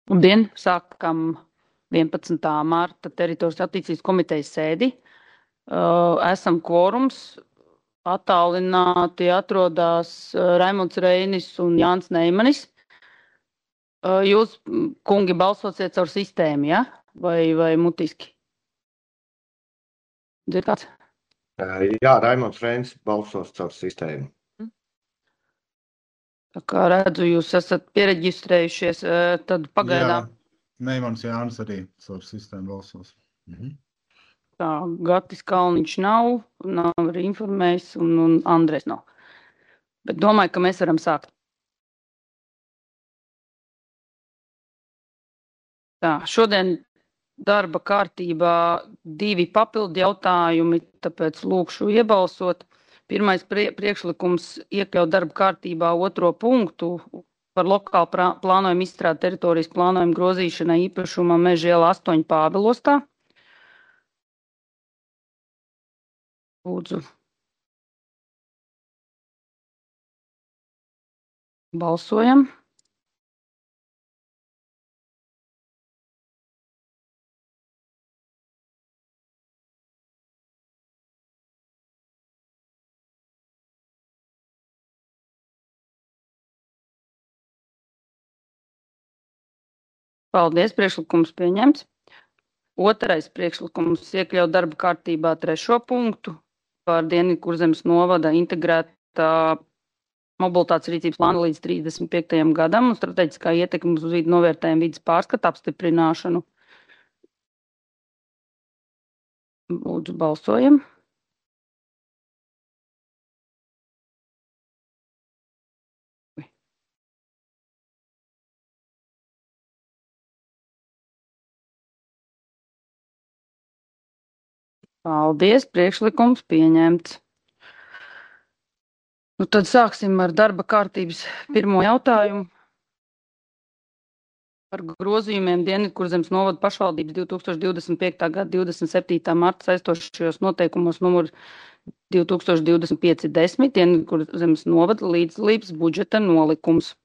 Labdien! Sākam 11. marta teritorijas attīstības komitejas sēdi. Esam kvorums. Attālināti atrodas Raimonds Reinis un Jānis Neimanis. Jūs, kungi, balsosiet caur sistēmu, ja? Vai mutiski? Dzird kāds? Jā, Raimonds Reinis balsos caur sistēmu. Tā kā redzu, jūs esat piereģistrējušies, tad pagaidām. Jā, Neimans Jānis arī caur sistēmu balsos. Tā, Gatis Kalniņš nav arī informējis, un Andrēs nav. Bet domāju, ka mēs varam sākt. Tā, šodien darba kārtībā 2 papildu jautājumi, tāpēc lūkšu iebalsot. Pirmais priekšlikums iekļaut darba kārtībā 2. punktu par lokālu plānojumu izstrādi teritorijas plānojumu grozīšanai īpašumā Meža iela 8 Pāvilostā. Lūdzu. Balsojam. Paldies, priekšlikums pieņemts. Otrais priekšlikums iekļaut darba kārtībā 3. punktu par Dienvidkurzemes novada integrētā mobilitātes rīcības plānu līdz 35. gadam un strateģiskā ietekme uz vidu novērtējumu vidas pārskatu apstiprināšanu. Lūdzu, balsojam. Paldies, priekšlikums pieņemts. Nu, tad sāksim ar darba kārtības pirmo jautājumu par grozījumiem Dienvidkurzemes novada pašvaldības 2025. gada 27. marta saistošajos noteikumos numur 2025-10 Dienvidkurzemes novada līdzdalības budžeta nolikums.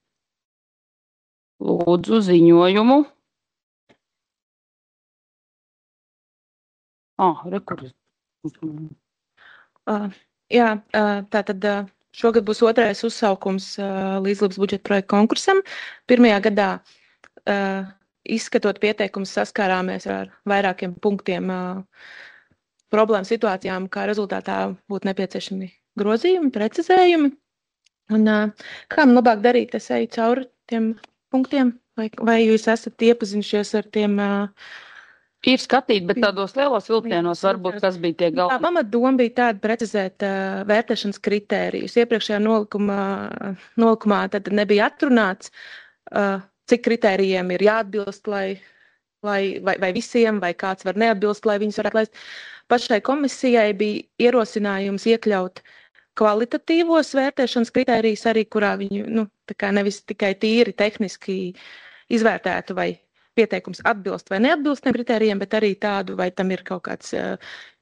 Lūdzu ziņojumu. Tātad šogad būs 2. uzsaukums līdzdalības budžeta projekta konkursam. Pirmajā gadā izskatot pieteikumus saskārāmies ar vairākiem punktiem problēmu situācijām, kā rezultātā būtu nepieciešami grozījumi, precizējumi. Un kā man labāk darīt? Es eju cauri tiem punktiem, vai jūs esat iepazinušies ar tiem? Ir skatīt, bet tādos lielos vilcienos varbūt kas bija tie galvenie. Tā pamatdoma bija tāda precizēt vērtēšanas kritērijus. Iepriekšējā nolikumā tad nebija atrunāts, cik kritērijiem ir jāatbilst, vai visiem, vai kāds var neatbilst, lai viņus varētu laist. Pašai komisijai bija ierosinājums iekļaut kvalitatīvos vērtēšanas kritērijus arī, kurā viņu nevis tikai tīri tehniski izvērtētu, vai pieteikums atbilst vai neatbilst tiem kritērijiem, bet arī tādu, vai tam ir kaut kāds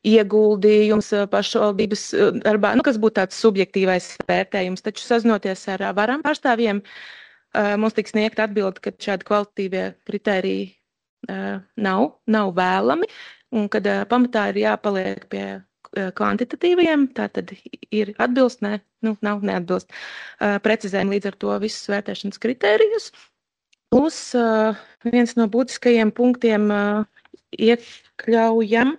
ieguldījums pašvaldības darbā, kas būtu tāds subjektīvais vērtējums. Taču sazinoties ar varam pārstāvjiem, mums tiks sniegt atbildi, ka šādi kvalitatīvie kritēriji nav vēlami, un kad pamatā ir jāpaliek pie kvantitatīviem, tātad ir atbilst, nav neatbilst. Precizējam līdz ar to visus vērtēšanas kritērijus. Plus viens no būtiskajiem punktiem iekļaujam,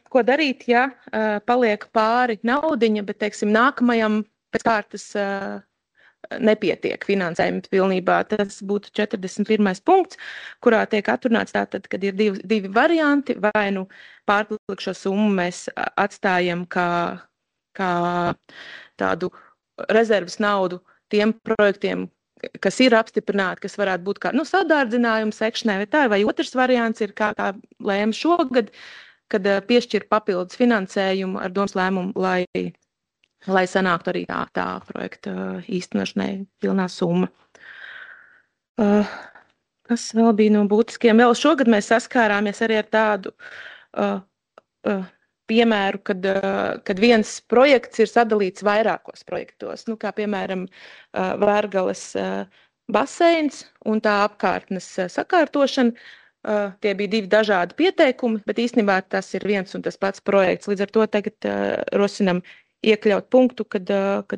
ko darīt, ja paliek pāri naudiņa, bet, teiksim, nākamajam pēc kārtas nepietiek finansējums pilnībā. Tas būtu 41. punkts, kurā tiek atrunāts tātad, kad ir divi varianti, vai pārpilikušo summu mēs atstājam kā tādu rezerves naudu tiem projektiem, kas ir apstiprināti, kas varētu būt kā sadārdzinājuma sekšanai, vai otrs variants ir kā lēma šogad, kad piešķir papildus finansējumu ar domas lēmumu, lai sanāktu arī tā projekta īstenošanai pilnā summa. Kas vēl bija no būtiskiem? Vēl šogad mēs saskārāmies arī ar tādu piemēru, kad viens projekts ir sadalīts vairākos projektos, kā piemēram Vērgales baseins un tā apkārtnes sakārtošana. Tie bija 2 dažādi pieteikumi, bet īstenībā tas ir viens un tas pats projekts. Līdz ar to tagad rosinam iekļaut punktu, kad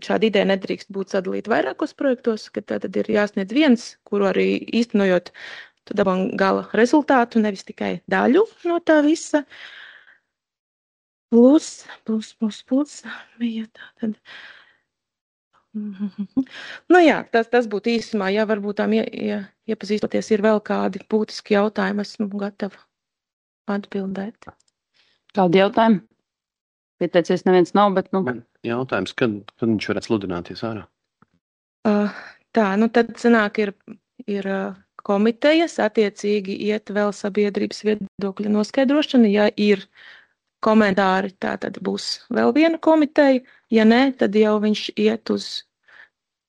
šāda ideja nedrīkst būt sadalīta vairākos projektos, kad tad ir jāsniedz viens, kuru arī īstenojot, tu dabūn gala rezultātu, nevis tikai daļu no tā visa. Plus, bija tā tad. Nu jā, tas būtu īsumā, ja varbūt tām iepazīstoties ir vēl kādi būtiski jautājumi, esmu gatava atbildēt. Kādi jautājumi? Pieteicies neviens nav, bet Man jautājums, kad viņš varētu sludināties ārā? Tā, tad sanāk ir komitejas, attiecīgi iet vēl sabiedrības viedokļa noskaidrošana, ja ir komentāri, tā tad būs vēl viena komiteja, ja nē, tad jau viņš iet uz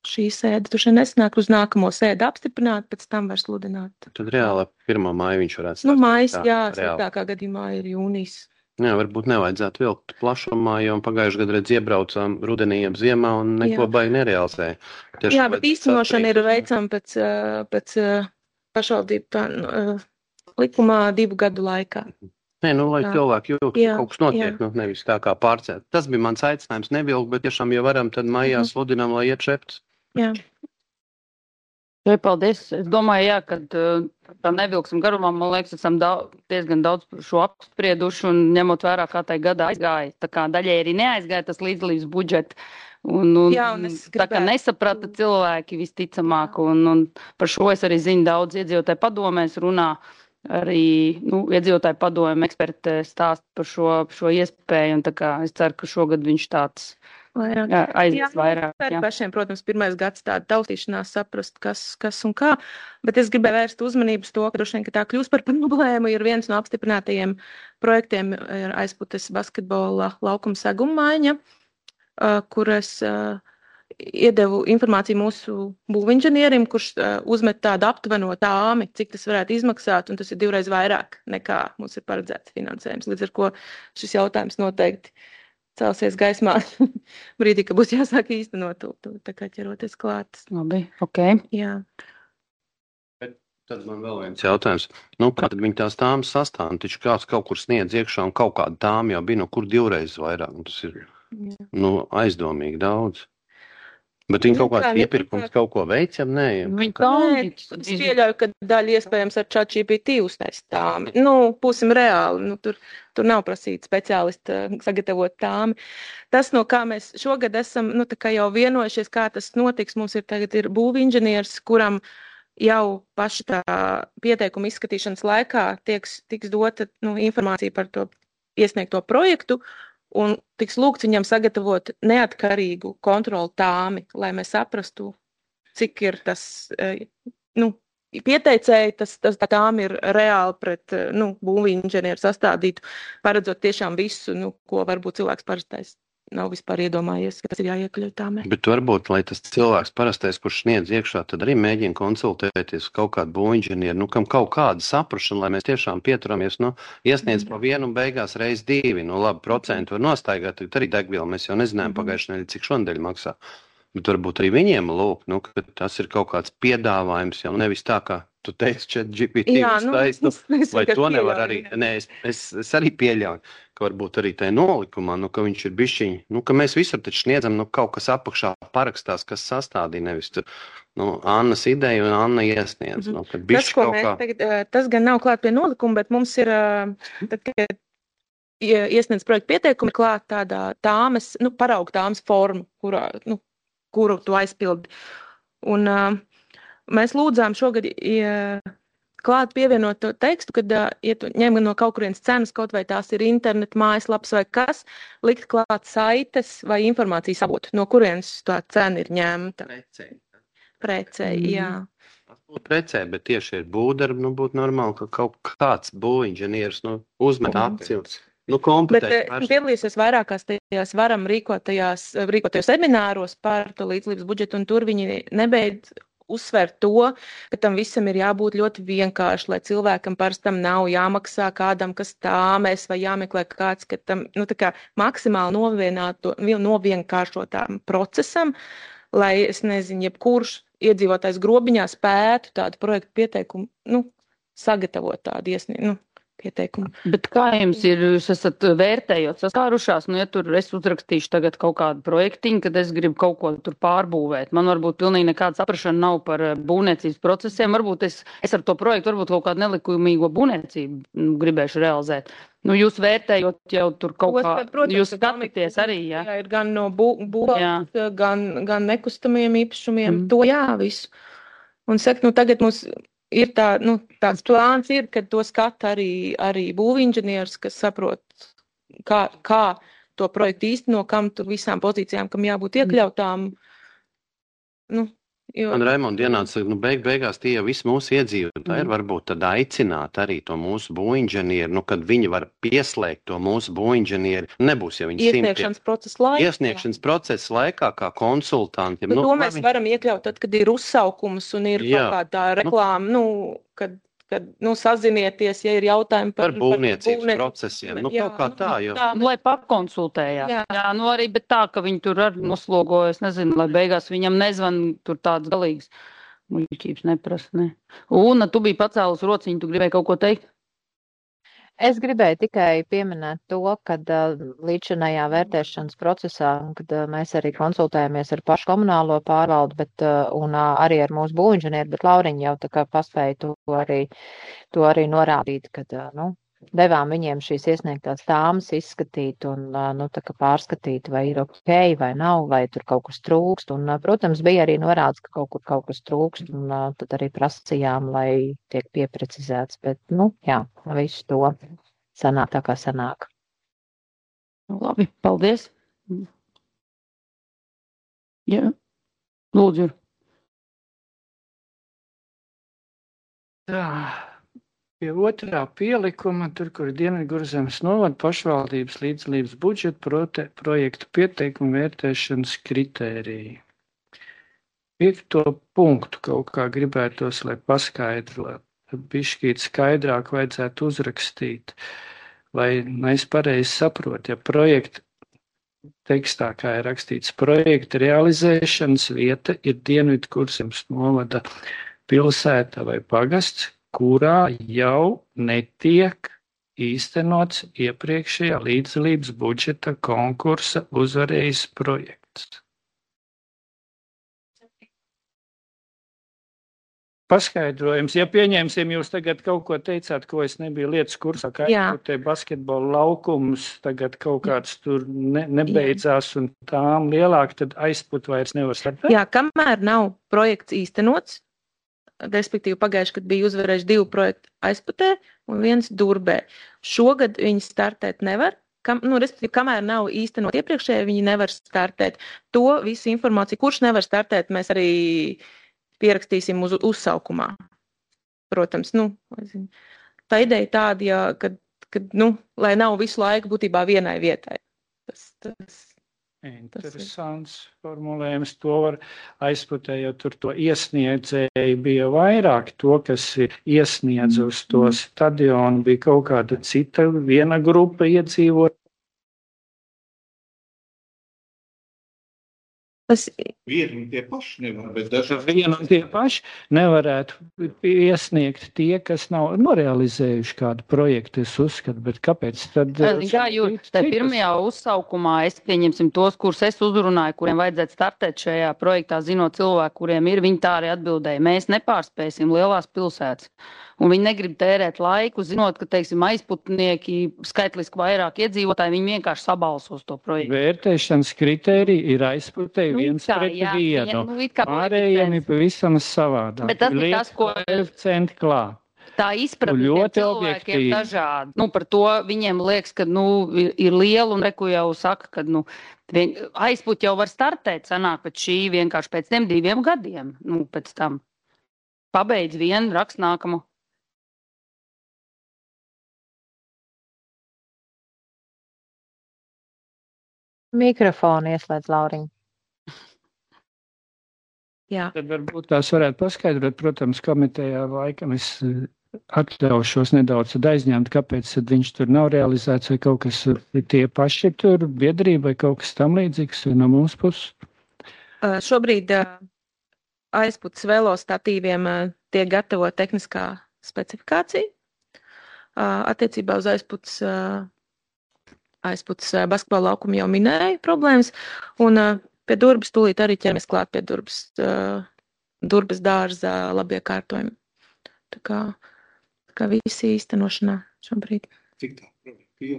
šī sēde, tu nesnāk uz nākamo sēdi apstiprināt, pēc tam var sludināt. Tad reāli 1. māja viņš varētu Mājas, jā, sliktākā gadījumā ir jūnijas. Jā, varbūt nevajadzētu vilkt plašumā, jo pagājušajā gadā redz iebraucām rudenī ap ziemā un neko baigi nerealizēja. Jā, bet īstenošana ir veicama pēc pašvaldību likumā 2 gadu laikā. Nē, lai cilvēki jūt, ka kaut kas notiek, nevis tā kā pārcēt. Tas bija mans aicinājums nevilkt, bet tiešām, ja varam, tad maijā sludinām, lai iet šepts. Jā. Paldies. Es domāju, kad tā nevilksim garumā, man liekas, esam diezgan daudz šo apsprieduši un ņemot vērā, kā tai gadā aizgāja. Tā kā daļai arī neaizgāja tas līdzdalības budžets. Un tā kā nesaprata cilvēki visticamāk. Un par šo es arī zinu daudz iedzīvotāju padomēs runā. Arī iedzīvotāju padomu eksperti stāst par šo iespēju, un tā kā es ceru, ka šogad viņš tāds aizies vairāk. Jā. Pašiem, protams, pirmais gads tāda taustīšanās saprast, kas un kā, bet es gribēju vērst uzmanību uz to, ka droši vien, ka tā kļūst par problēmu, ir viens no apstiprinātajiem projektiem ir Aizputes basketbola laukuma segumaiņa, kur es iedevu informāciju mūsu būvinženierim, kurš uzmet tādu aptuveno tāmi, cik tas varētu izmaksāt, un tas ir 2 reizes vairāk nekā mums ir paredzēts finansējums. Līdz ar ko šis jautājums noteikti celsies gaismā brīdī, ka būs jāsāk īstenot tā kā ķeroties klāt. Labi, ok. Jā. Bet tad man vēl viens jautājums. Kā tad viņi tās tāmas sastāv? Taču kāds kaut kur sniedz iekšā un kaut kāda tāma jau bija, kur 2 reizes vairāk. Un tas ir aizdomīgi daudz. Bet viņi kaut kāds iepirkums kaut ko veic, nē? Es pieļauju, ka daļa iespējams ar ChatGPT uztaisīt tāmi. Būsim reāli. Tur nav prasīt speciālisti sagatavot tāmi. Tas, no kā mēs šogad esam tā kā jau vienojušies, kā tas notiks, mums tagad ir būvinženieris, kuram jau paši tā pieteikuma izskatīšanas laikā tiks dota informācija par to iesniegto projektu, un tiks lūgts viņam sagatavot neatkarīgu kontrolu tāmi, lai mēs saprastu, cik ir tas, pieteicēji, tā tāmi ir reāli pret, būvinženieru sastādītu, paredzot tiešām visu, ko varbūt cilvēks parastais nav vispār iedomājies, ka tas ir jāiekļauj tāmē. Bet varbūt, lai tas cilvēks parastais, kurš sniedz iekšā, tad arī mēģina konsultēties kaut kādu būvinženieru, kam kaut kāda saprašana, lai mēs tiešām pieturamies, iesniedz pa 1 un beigās reiz 2, labi, procentu var nostaigāt, tad arī degvielu mēs jau nezinājām pagājušajā nedēļā, cik šonadēļ maksā. Bet varbūt arī viņiem ka tas ir kaut kāds piedāvājums, jau nevis tā, kā tu teici, ChatGPT uztaisnu, vai to nevar arī, es arī pieļauju, ka varbūt arī tai nolikumā, ka viņš ir bišķiņi, ka mēs visur taču sniedzam, kaut kas apakšā parakstās, kas sastādīja, nevis tur, Annas ideja un Anna iesniedz. Tas, ko mēs tagad, tas gan nav klāt pie nolikuma, bet mums ir, tad, kad iesniedz projektu pieteikumi, klāt tādā tāmes, paraugu tāmes forma, kuru tu aizpildi. Un mēs lūdzām šogad klāt pievienot to tekstu, kad ja tu ņem no kaut kurienes cenas, kaut vai tās ir internet mājaslaps vai kas, likt klāt saites vai informācijas avotu, no kurienes tā cena ir ņemta. Precēji, jā. Precē, bet tieši ir būvdarbi, būtu normāli, ka kaut kāds būvinženieris, uzmet akcijas. Bet piedalīsies vairākās tajās varam rīkotajos semināros par to līdzdalības budžetu, un tur viņi nebeidz uzsvērt to, ka tam visam ir jābūt ļoti vienkārši, lai cilvēkam parastam nav jāmaksā kādam, kas tāmēs, vai jāmeklē kāds, ka tam, tā kā maksimāli novienkāršotām procesam, lai es nezinu, jebkurš iedzīvotājs Grobiņā spētu tādu projektu pieteikumu, sagatavot tādu pieteikumu. Bet kā jums ir, jūs esat vērtējot saskārušās, ja tur es uzrakstīšu tagad kaut kādu projektiņu, kad es gribu kaut ko tur pārbūvēt. Man varbūt pilnīgi nekāda saprašana nav par būvniecības procesiem. Varbūt es ar to projektu varbūt kaut kādu nelikumīgo būvniecību gribēšu realizēt. Jūs vērtējot jau tur kaut kā, protams, jūs skatāties arī, jā? Jā, ir gan no būvās, gan nekustamiem īpašumiem, to visu. Un saka, tagad mums ir tāds plāns ir, kad to skata arī būvinženieris, kas saprot, kā to projektu īsteno, kam tur visām pozīcijām, kam jābūt iekļautām. Man Raimonda ienāca, beigās tie jau visi mūsu iedzīvotāji ir varbūt tad aicināt arī to mūsu būvinženieri, kad viņi var pieslēgt to mūsu būvinženieri, nebūs jau viņi Iesniegšanas procesa laikā kā konsultanti. Bet to mēs varam iekļaut tad, kad ir uzsaukums un ir kaut kā tā reklāma, kad sazinieties, ja ir jautājumi par būvniecības procesiem. Kaut kā tā, jo. Lai pakonsultējās. Jā, arī, bet tā, ka viņi tur arī noslogojas, nezinu, lai beigās viņam nezvan tur tāds galīgs muļķības neprasa, ne. Una, tu biji pacēlus rociņu, tu gribēji kaut ko teikt? Es gribēju tikai pieminēt to, kad līdzinājā vērtēšanas procesā, kad mēs arī konsultējamies ar pašu komunālo pārvaldu, un arī ar mūsu būvinženieri, bet Lauriņa jau tā kā paspēja to arī norādīt, kad, devām viņiem šīs iesniegtās tāmas izskatīt un, tā kā pārskatīt, vai ir ok, vai nav, vai tur kaut kas trūkst, un, protams, bija arī norāds, ka kaut kas trūkst, un tad arī prasījām, lai tiek pieprecizēts, bet, visu to sanāk tā kā sanāk. Labi, paldies. Jā, lūdzu. Tā. Pie otrā pielikuma, tur, kur Dienvidkurzemes novada pašvaldības līdzdalības budžeta projektu pieteikumu vērtēšanas kritēriju. 5. punktu kaut kā gribētos, lai paskaidro, bišķīt skaidrāk vajadzētu uzrakstīt, vai es pareizi saprotu, ja projekta tekstā, kā ir rakstīts, projekta realizēšanas vieta ir Dienvidkurzemes novada pilsēta vai pagasts, kurā jau netiek īstenots iepriekšējā līdzdalības budžeta konkursa uzvarējis projekts. Paskaidrojums, ja pieņemsim, jūs tagad kaut ko teicāt, ko es nebiju lietas kursā, kā te basketbola laukums tagad kaut kāds tur nebeidzās un tām lielāk, tad aizput vairs nevar startēt? Jā, kamēr nav projekts īstenots, respektīvi pagājuši, kad bija uzvarējuši 2 projektu Aizputē un 1 Durbē. Šogad viņi startēt nevar, respektīvi, kamēr nav īstenot iepriekšēji, viņi nevar startēt. To visu informāciju, kurš nevar startēt, mēs arī pierakstīsim uz uzsaukumā. Protams, tā ideja tāda, kad lai nav visu laiku būtībā vienai vietai. Interesants formulējums, to var Aizputē, jo tur to iesniedzēji bija vairāk, to, kas iesniedz uz to stadionu, bija kaut kāda cita, viena grupa iedzīvot. Vienu un tie paši nevar, bet dažādi. Vienu un tie paši nevarētu iesniegt tie, kas nav norealizējuši kādu projektu, es uzskatu, bet kāpēc tad? Jā, jo te pirmajā uzsaukumā es pieņemsim tos, kurus es uzrunāju, kuriem vajadzētu startēt šajā projektā, zinot cilvēku, kuriem ir, viņi tā arī atbildēja. Mēs nepārspēsim lielās pilsētas. Un viņi negrib tērēt laiku, zinot, ka, teiksim, aizputnieki, skaitliski vairāk iedzīvotāji, viņi vienkārši sabalsos to projektu. Vērtēšanas kritērija ir Aizputē 1:1. Pārējiem ir pavisam savādāk. Bet tas ir tas, ko tā izpratne cilvēkiem dažādi. Par to viņiem liekas, ka ir liela un reku jau saka, ka Aizput jau var startēt, sanāk pēc šī vienkārši pēc tiem 2 gadiem. Pēc tam pabeidz vienu, rakst nākamo. Mikrofonu ieslēdz Lauriņa. Jā. Tad varbūt tās varētu paskaidrot, protams, komitejā laikam es atļaušos nedaudz aizņemt, kāpēc viņš tur nav realizēts vai kaut kas tie paši tur biedrība vai kaut kas tam līdzīgs no mūsu puses. Šobrīd aizputs velostatīviem tiek gatavota tehniskā specifikācija. Attiecībā uz aizputs basketbola laukumu jau minēju problēmas, un pie Durbas tūlīt arī ķeramies klāt pie Durbas dārza labiekārtojumi. Tā kā visi īstenošanā šobrīd. Cik tā?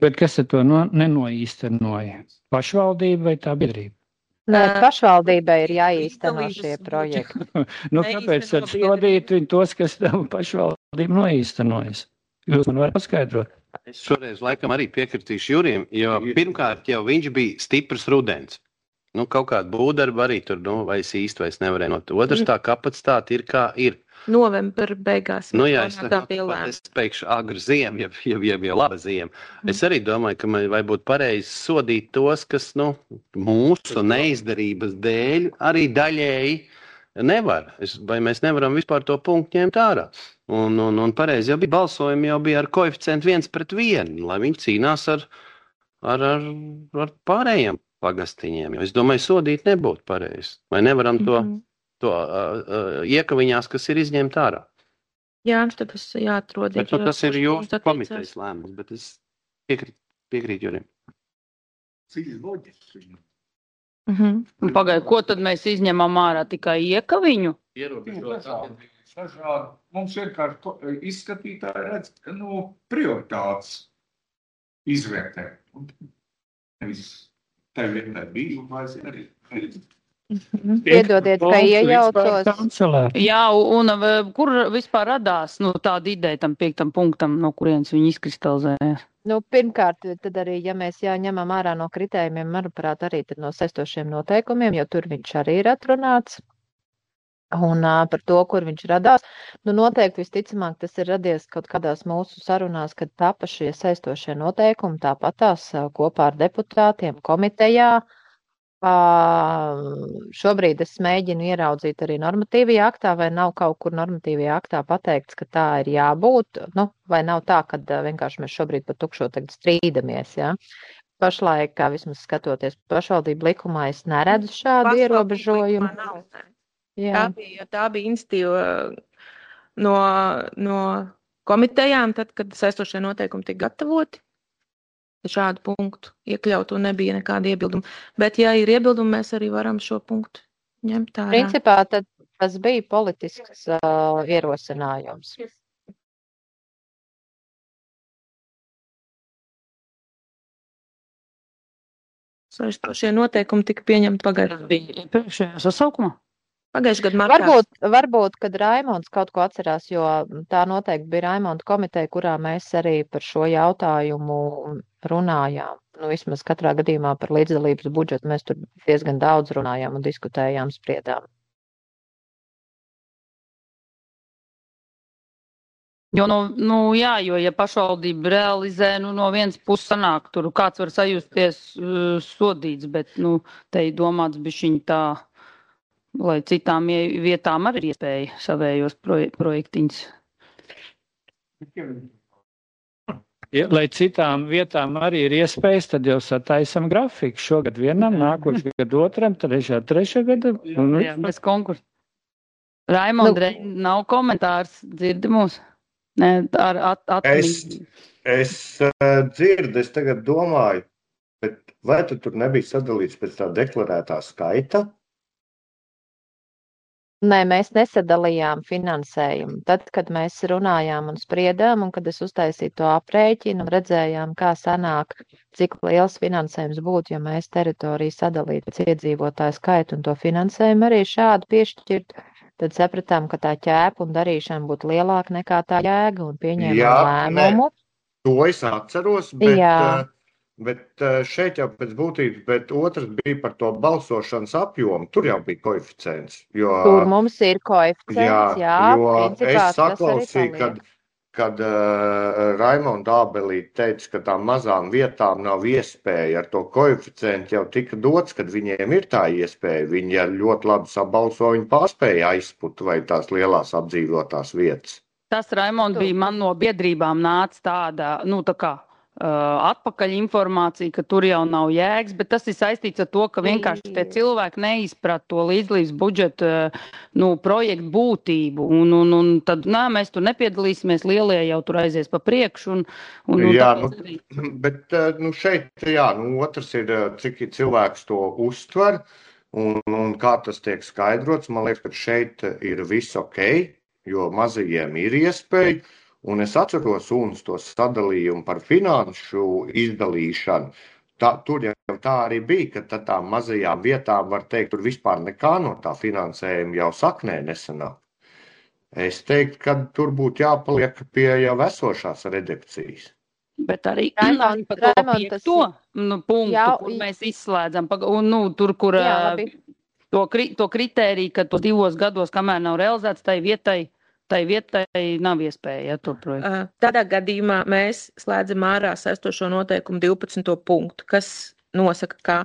Bet kas ar to nenoīstenoja? Pašvaldība vai tā biedrība? Nē, pašvaldībai ir jāīsteno šie projekti. Kāpēc tad sodīt viņu tos, kas tam pašvaldību noīstenojas? Jūs man varat paskaidrot? Es šoreiz laikam arī piekritīšu Jurijam, jo pirmkārt jau viņš bija stiprs rudens. Kaut kāda būvdarba arī tur, vai es īsti vairs nevarēju not. Otrs tā kapacitāte ir kā ir. Novembra beigās. Jā, es teikšu agru ziemu, jau laba ziema. Es arī domāju, ka vai būtu pareizi sodīt tos, kas, mūsu neizdarības dēļ arī daļēji nevar. Vai mēs nevaram vispār to punktu ņemt ārā. Un pareizi jau bija balsojumi, jau bija ar koeficientu 1:1, lai viņi cīnās ar pārējiem pagastiņiem. Jo es domāju, sodīt nebūtu pareizi. Vai nevaram to iekaviņās, kas ir izņemt ārā? Jā, tad tas jāatrod. Bet tas ir jūsu komitejas lēmums, bet es piekrītu Jurim. Cik loģiski. Pagaid, ko tad mēs izņemam ārā? Tikai iekaviņu? Mums vienkārši izskatītāji redz, prioritātes izvērtē. Nevis tev vienmēr bija, un vairs arī. Piedodiet, ka iejaucos. Jā, un kur vispār radās tāda ideja tam 5. punktam, no kurienes viņi izkristalizējās? Pirmkārt, tad arī, ja mēs ņemam ārā no kritējumiem, manuprāt, arī tad no saistošiem noteikumiem, jo tur viņš arī ir atrunāts. Un par to, kur viņš radās, noteikti visticamāk tas ir radies kaut kādās mūsu sarunās, kad tapa šie saistošie noteikumi, tāpatās kopā ar deputātiem komitejā. Šobrīd es mēģinu ieraudzīt arī normatīvajā aktā, vai nav kaut kur normatīvajā aktā pateikts, ka tā ir jābūt, vai nav tā, ka vienkārši mēs šobrīd par tukšo tagad strīdamies, jā. Pašlaik, kā vismaz skatoties pašvaldību likumā, es neredzu šādu ierobežojumu. Tā bija institīva no komitejām, tad, kad saistošie noteikumi tika gatavoti. Šādu punktu iekļaut un nebija nekāda iebilduma. Bet, ja ir iebildumi, mēs arī varam šo punktu ņemt ārā. Principā tad tas bija politisks ierosinājums. Saistošie noteikumi tika pieņemti pagājušajā sasaukumā. Pagājušajā gadā martā. Varbūt, kad Raimonds kaut ko atcerās, jo tā noteikti bija Raimonda komiteja, kurā mēs arī par šo jautājumu runājām. Vismaz katrā gadījumā par līdzdalības budžetu mēs tur diezgan daudz runājām un diskutējām, spriedām. Jo, ja pašvaldība realizē, no vienas puses sanāk, tur kāds var sajusties sodīts, bet, te ir domāts bišķiņ tā, lai citām vietām arī ir iespēja savējos projektiņus. Lai citām vietām arī ir iespējas, tad jau sataisam grafiku. Šogad vienam, nākošajā gadu otram, trešā gada. Jā, bez konkursa. Raimond, nav komentārs, dzirdi mūs? Nē, Es dzirdu, es tagad domāju, bet vai tu tur nebija sadalīts pēc tā deklarētā skaita? Nē, mēs nesadalījām finansējumu. Tad, kad mēs runājām un spriedām, un kad es uztaisīju to aprēķinu un redzējām, kā sanāk, cik liels finansējums būtu, ja mēs teritoriju sadalītu pēc iedzīvotāju skaitu un to finansējumu arī šādu piešķirt, tad sapratām, ka tā ķēpa un darīšana būtu lielāka nekā tā jēga un pieņēmām lēmumu. To es atceros, bet šeit jau pēc būtības, bet otrs bija par to balsošanas apjomu. Tur jau bija koeficients. Tur mums ir koeficients, jā. Jo es saklausīju, kad Raimonda Ābelīte teica, ka tām mazām vietām nav iespēja ar to koeficientu jau tika dots, kad viņiem ir tā iespēja. Viņi ļoti labi sabalso, viņi pārspēja aizput vai tās lielās apdzīvotās vietas. Tas, Raimond, bija man no biedrībām nāca tāda, tā kā atpakaļ informāciju, ka tur jau nav jēgas, bet tas ir saistīts ar to, ka vienkārši tie cilvēki neizprat to līdzlības budžeta projektu būtību. Un tad, mēs tur nepiedalīsimies, lielie jau tur aizies pa priekšu. Jā, bet šeit, otrs ir, cik cilvēks to uztver un kā tas tiek skaidrots. Man liekas, ka šeit ir viss ok, jo mazajiem ir iespēja. Un es atceros UNS to sadalījumu par finanšu izdalīšanu. Tur jau tā arī bija, ka tām mazajām vietām, var teikt, tur vispār nekā no tā finansējuma jau saknē nesanāk. Es teiktu, ka tur būtu jāpaliek pie jau esošās redakcijas. Bet arī par to piekto punktu, kur mēs izslēdzam. Tur, kur to kritēriju, ka to 2 gados, kamēr nav realizēts, tai vietai nav iespēja to projektu. Tādā gadījumā mēs slēdzam ārā saistošo noteikumu 12. punktu, kas nosaka, ka,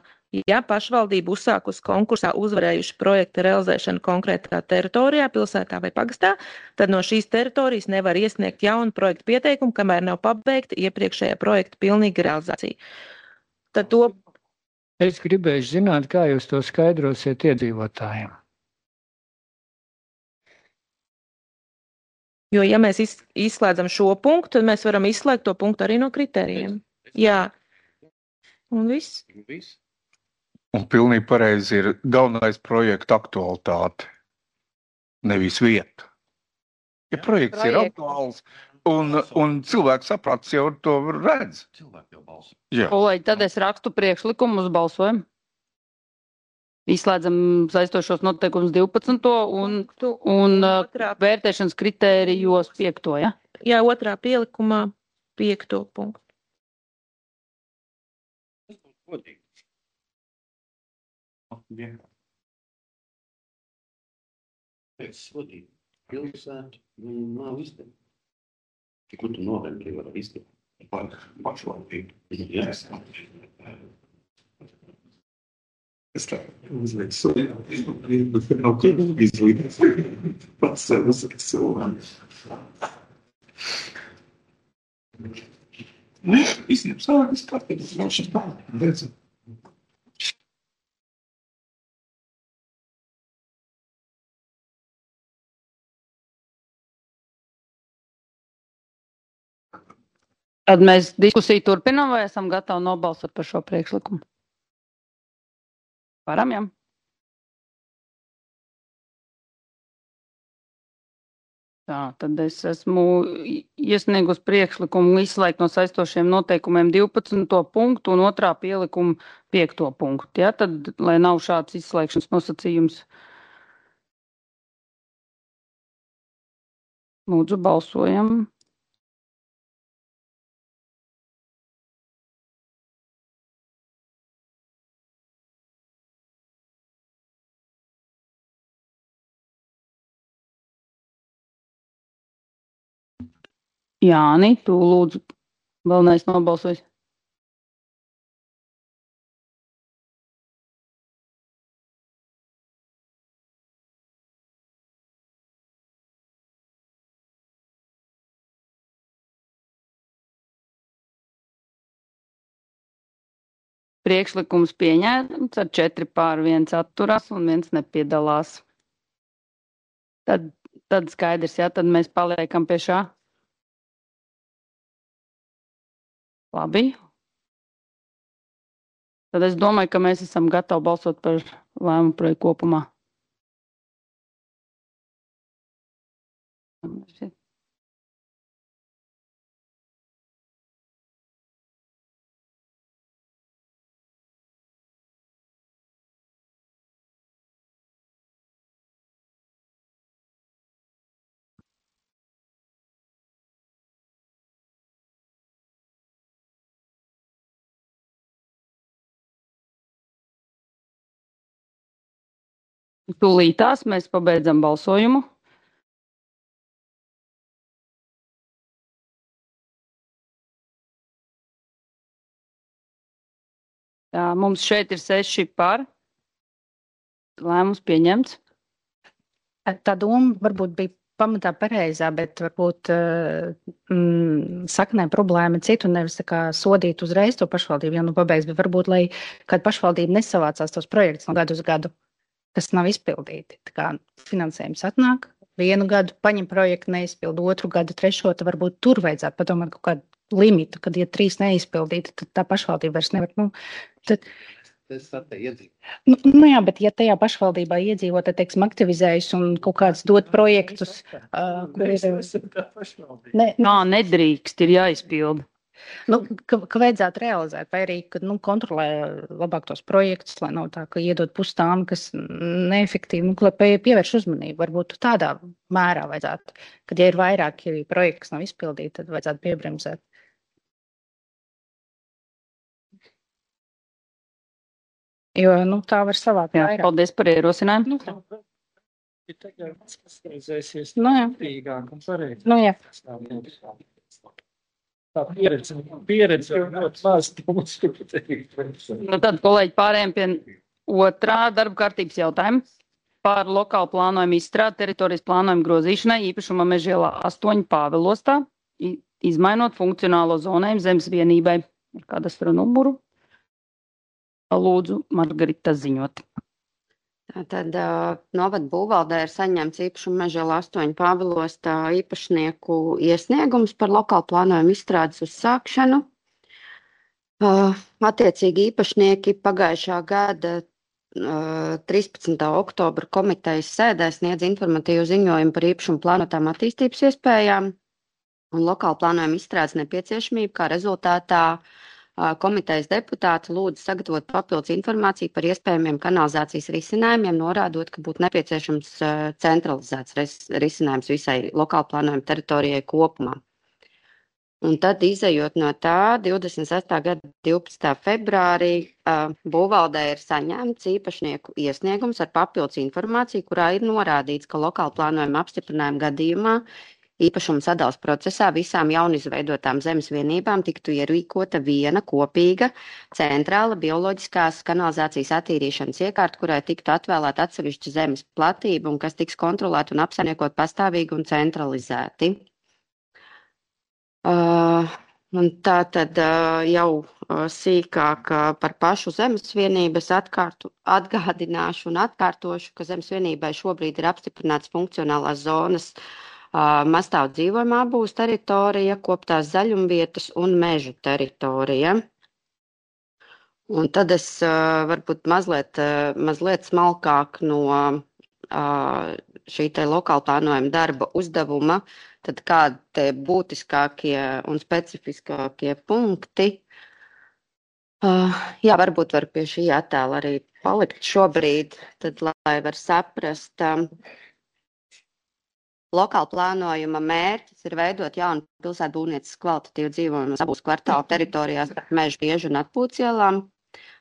ja pašvaldība uzsākus konkursā uzvarējuši projekta realizēšanu konkrētā teritorijā, pilsētā vai pagastā, tad no šīs teritorijas nevar iesniegt jaunu projektu pieteikumu, kamēr nav pabeigta iepriekšējā projekta pilnīga realizācija. Tad to... Es gribēju zināt, kā jūs to skaidrosiet iedzīvotājiem. Jo, ja mēs izslēdzam šo punktu, tad mēs varam izslēgt to punktu arī no kritērijiem. Jā. Un viss. Un pilnīgi pareizi ir galvenais projekta aktualitāte, nevis vieta. Ja projekts ir aktuāls un cilvēks saprats jau to redz. Kolēģi, tad es rakstu priekšlikumu uz balsojumu. Izslēdzam saistošos noteikumus 12. un vērtēšanas kritērijos 5. Ja? Jā, 2. pielikumā 5. punktu. Pilsētu nav izdevies. Kur tu novērtēji var izdevies? Pašvaldību. Es tā uzveicu nav izlīdz. Pats sev uzveicu cilvēku. Izņem sākas kārtības ļaušas pārāk. Tad mēs diskusiju turpinām vai esam gatavi nobalsot par šo priekšlikumu? Varam, jā. Tā, tad es esmu iesniegus priekšlikumu izslēgt no saistošiem noteikumiem 12. punktu un 2. pielikumu 5. punktu. Ja? Tad, lai nav šāds izslēgšanas nosacījums, lūdzu balsojam. Jāni, tu lūdzu, vēl neesi nobalsojis. Priekšlikums pieņēmts ar 4 pār 1 atturās un 1 nepiedalās. Tad skaidrs, jā, tad mēs paliekam pie šā. Labi. Tad es domāju, ka mēs esam gatavi balsot par lēmumu projektu kopumā. Tūlītās mēs pabeidzam balsojumu. Tā, mums šeit ir 6 par. Lēmums pieņemts. Tā doma varbūt bija pamatā pareizā, bet varbūt saknē problēma citu nevis tā kā sodīt uzreiz to pašvaldību, ja nu pabeigs, bet varbūt, lai kāda pašvaldība nesavācās tos projektus no gadu uz gadu, kas nav izpildīti. Tā kā finansējums atnāk, vienu gadu paņem projektu, neizpildu, otru gadu, trešo, tad varbūt tur vajadzētu padomāt kaut kādu limitu, kad, ja 3 neizpildīti, tad tā pašvaldība vairs nevar, tad jā, bet ja tajā pašvaldībā iedzīvot, tad, teiksim, aktivizējas un kaut kāds dot projektus, kur ir... Nedrīkst, ir jāizpilda. Ka vajadzētu realizēt, vai arī, ka kontrolē labāk tos projektus, lai nav tā, ka iedod pustām, kas neefektīvi, lai pievērš uzmanību. Varbūt tādā mērā vajadzētu, kad ja ir vairāki projekti, kas nav izpildīti, tad vajadzētu piebremzēt. Jo, tā var savākt vairāk. Paldies par ierosinājumu. Jā. Tā pieredze ļoti maz. Tad, kolēģi, pārējiem pie otrā darba kārtības jautājuma par lokālu plānojumu izstrādi teritorijas plānojumu grozīšanai īpašuma Mežielā 8 Pāvilostā, izmainot funkcionālo zonējumu zemes vienībai. Ar kadastra numuru? Lūdzu, Margarita, ziņot. Tad novada būvvaldē ir saņemts īpašuma Mežielā 8 Pāvilostā īpašnieku iesniegums par lokālu plānojumu izstrādes uzsākšanu. Attiecīgi īpašnieki pagājušā gada 13. oktobra komitejas sēdē sniedz informatīvu ziņojumu par īpašumu plānotām attīstības iespējām un lokālu plānojumu izstrādes nepieciešamību, kā rezultātā komitejas deputāti lūdza sagatavot papildus informāciju par iespējamiem kanalizācijas risinājumiem, norādot, ka būtu nepieciešams centralizēts risinājums visai lokāli plānojuma teritorijai kopumā. Un tad, izejot no tā, 26. gada 12. februārī būvvaldē ir saņemts īpašnieku iesniegums ar papildus informāciju, kurā ir norādīts, ka lokāli plānojuma apstiprinājuma gadījumā īpašuma sadales procesā visām jaunizveidotām zemes vienībām tiktu ierīkota viena kopīga centrāla bioloģiskās kanalizācijas attīrīšanas iekārta, kurai tiktu atvēlēta atsevišķa zemes platība un kas tiks kontrolēta un apsaimniekot pastāvīgi un centralizēti. Un tā tad jau sīkāk par pašu zemes vienības atgādināšu un atkārtošu, ka zemes vienībai šobrīd ir apstiprināts funkcionālās zonas mastāvu dzīvojumā būs teritorija, koptās zaļumvietas un mežu teritorija. Un tad es varbūt mazliet smalkāk no šī te lokāla plānojuma darba uzdevuma, tad kādi būtiskākie un specifiskākie punkti. Jā, varbūt var pie šī attēla arī palikt šobrīd, tad lai var saprast. Lokāla plānojuma mērķis ir veidot jaunu pilsētbūvniecības kvalitatīvu dzīvojumu abūs kvartālu teritorijās starp mežu biežu un atpūtas ielām,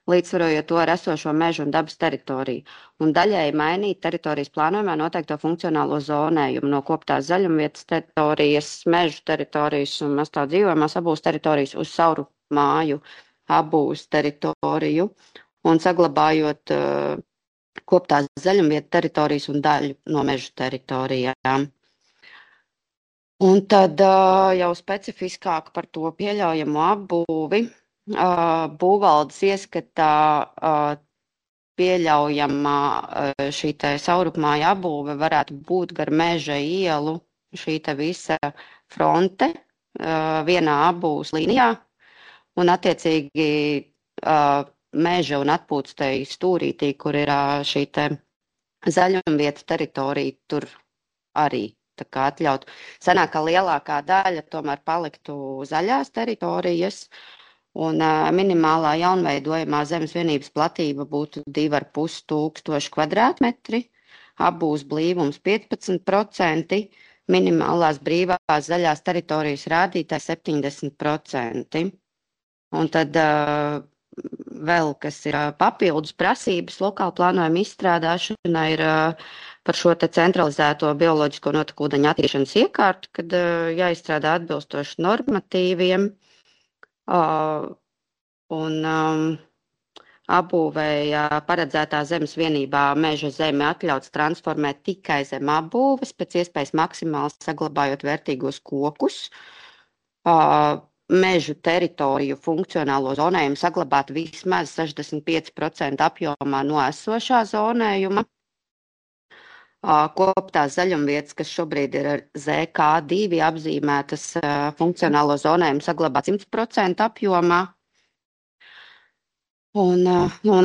līdzsvarojot to ar esošo mežu un dabas teritoriju, un daļēji mainīt teritorijas plānojumā noteikto funkcionālo zonējumu no koptās zaļumvietas teritorijas, mežu teritorijas un mastāvu dzīvojumās abūs teritorijas uz sauru māju abūs teritoriju un saglabājot koptās zaļumvietas teritorijas un daļu no mežu teritorijām. Un tad jau specifiskāk par to pieļaujamo apbūvi. Būvvaldes ieskatā pieļaujamā šī te saurupmāja apbūve varētu būt gar meža ielu šī te visa fronte vienā apbūves līnijā un attiecīgi meža un atpūtstei stūrītī, kur ir šī te zaļumvieta teritorija, tur arī tā kā atļaut. Sanāk, ka lielākā daļa tomēr paliktu zaļās teritorijas un minimālā jaunveidojamā zemes vienības platība būtu 2,5 tūkstoši kvadrātmetri, apbūves blīvums 15%, minimālās brīvās zaļās teritorijas rādītājs 70%. Un tad vēl, kas ir papildus prasības lokāla plānojuma izstrādāšana, ir par šo te centralizēto bioloģisko notekūdeņu attīrīšanas iekārtu, kad jāizstrādā atbilstoši normatīviem. Un apbūvēja paredzētā zemes vienībā meža zemi atļauts transformēt tikai zem apbūves, pēc iespējas maksimāli saglabājot vērtīgos kokus. Mežu teritoriju funkcionālo zonējumu saglabāt vismaz 65% apjomā no esošā zonējuma. Koptās zaļumvietas, kas šobrīd ir ar ZK2 apzīmētas funkcionālo zonējumu saglabāt 100% apjomā. Un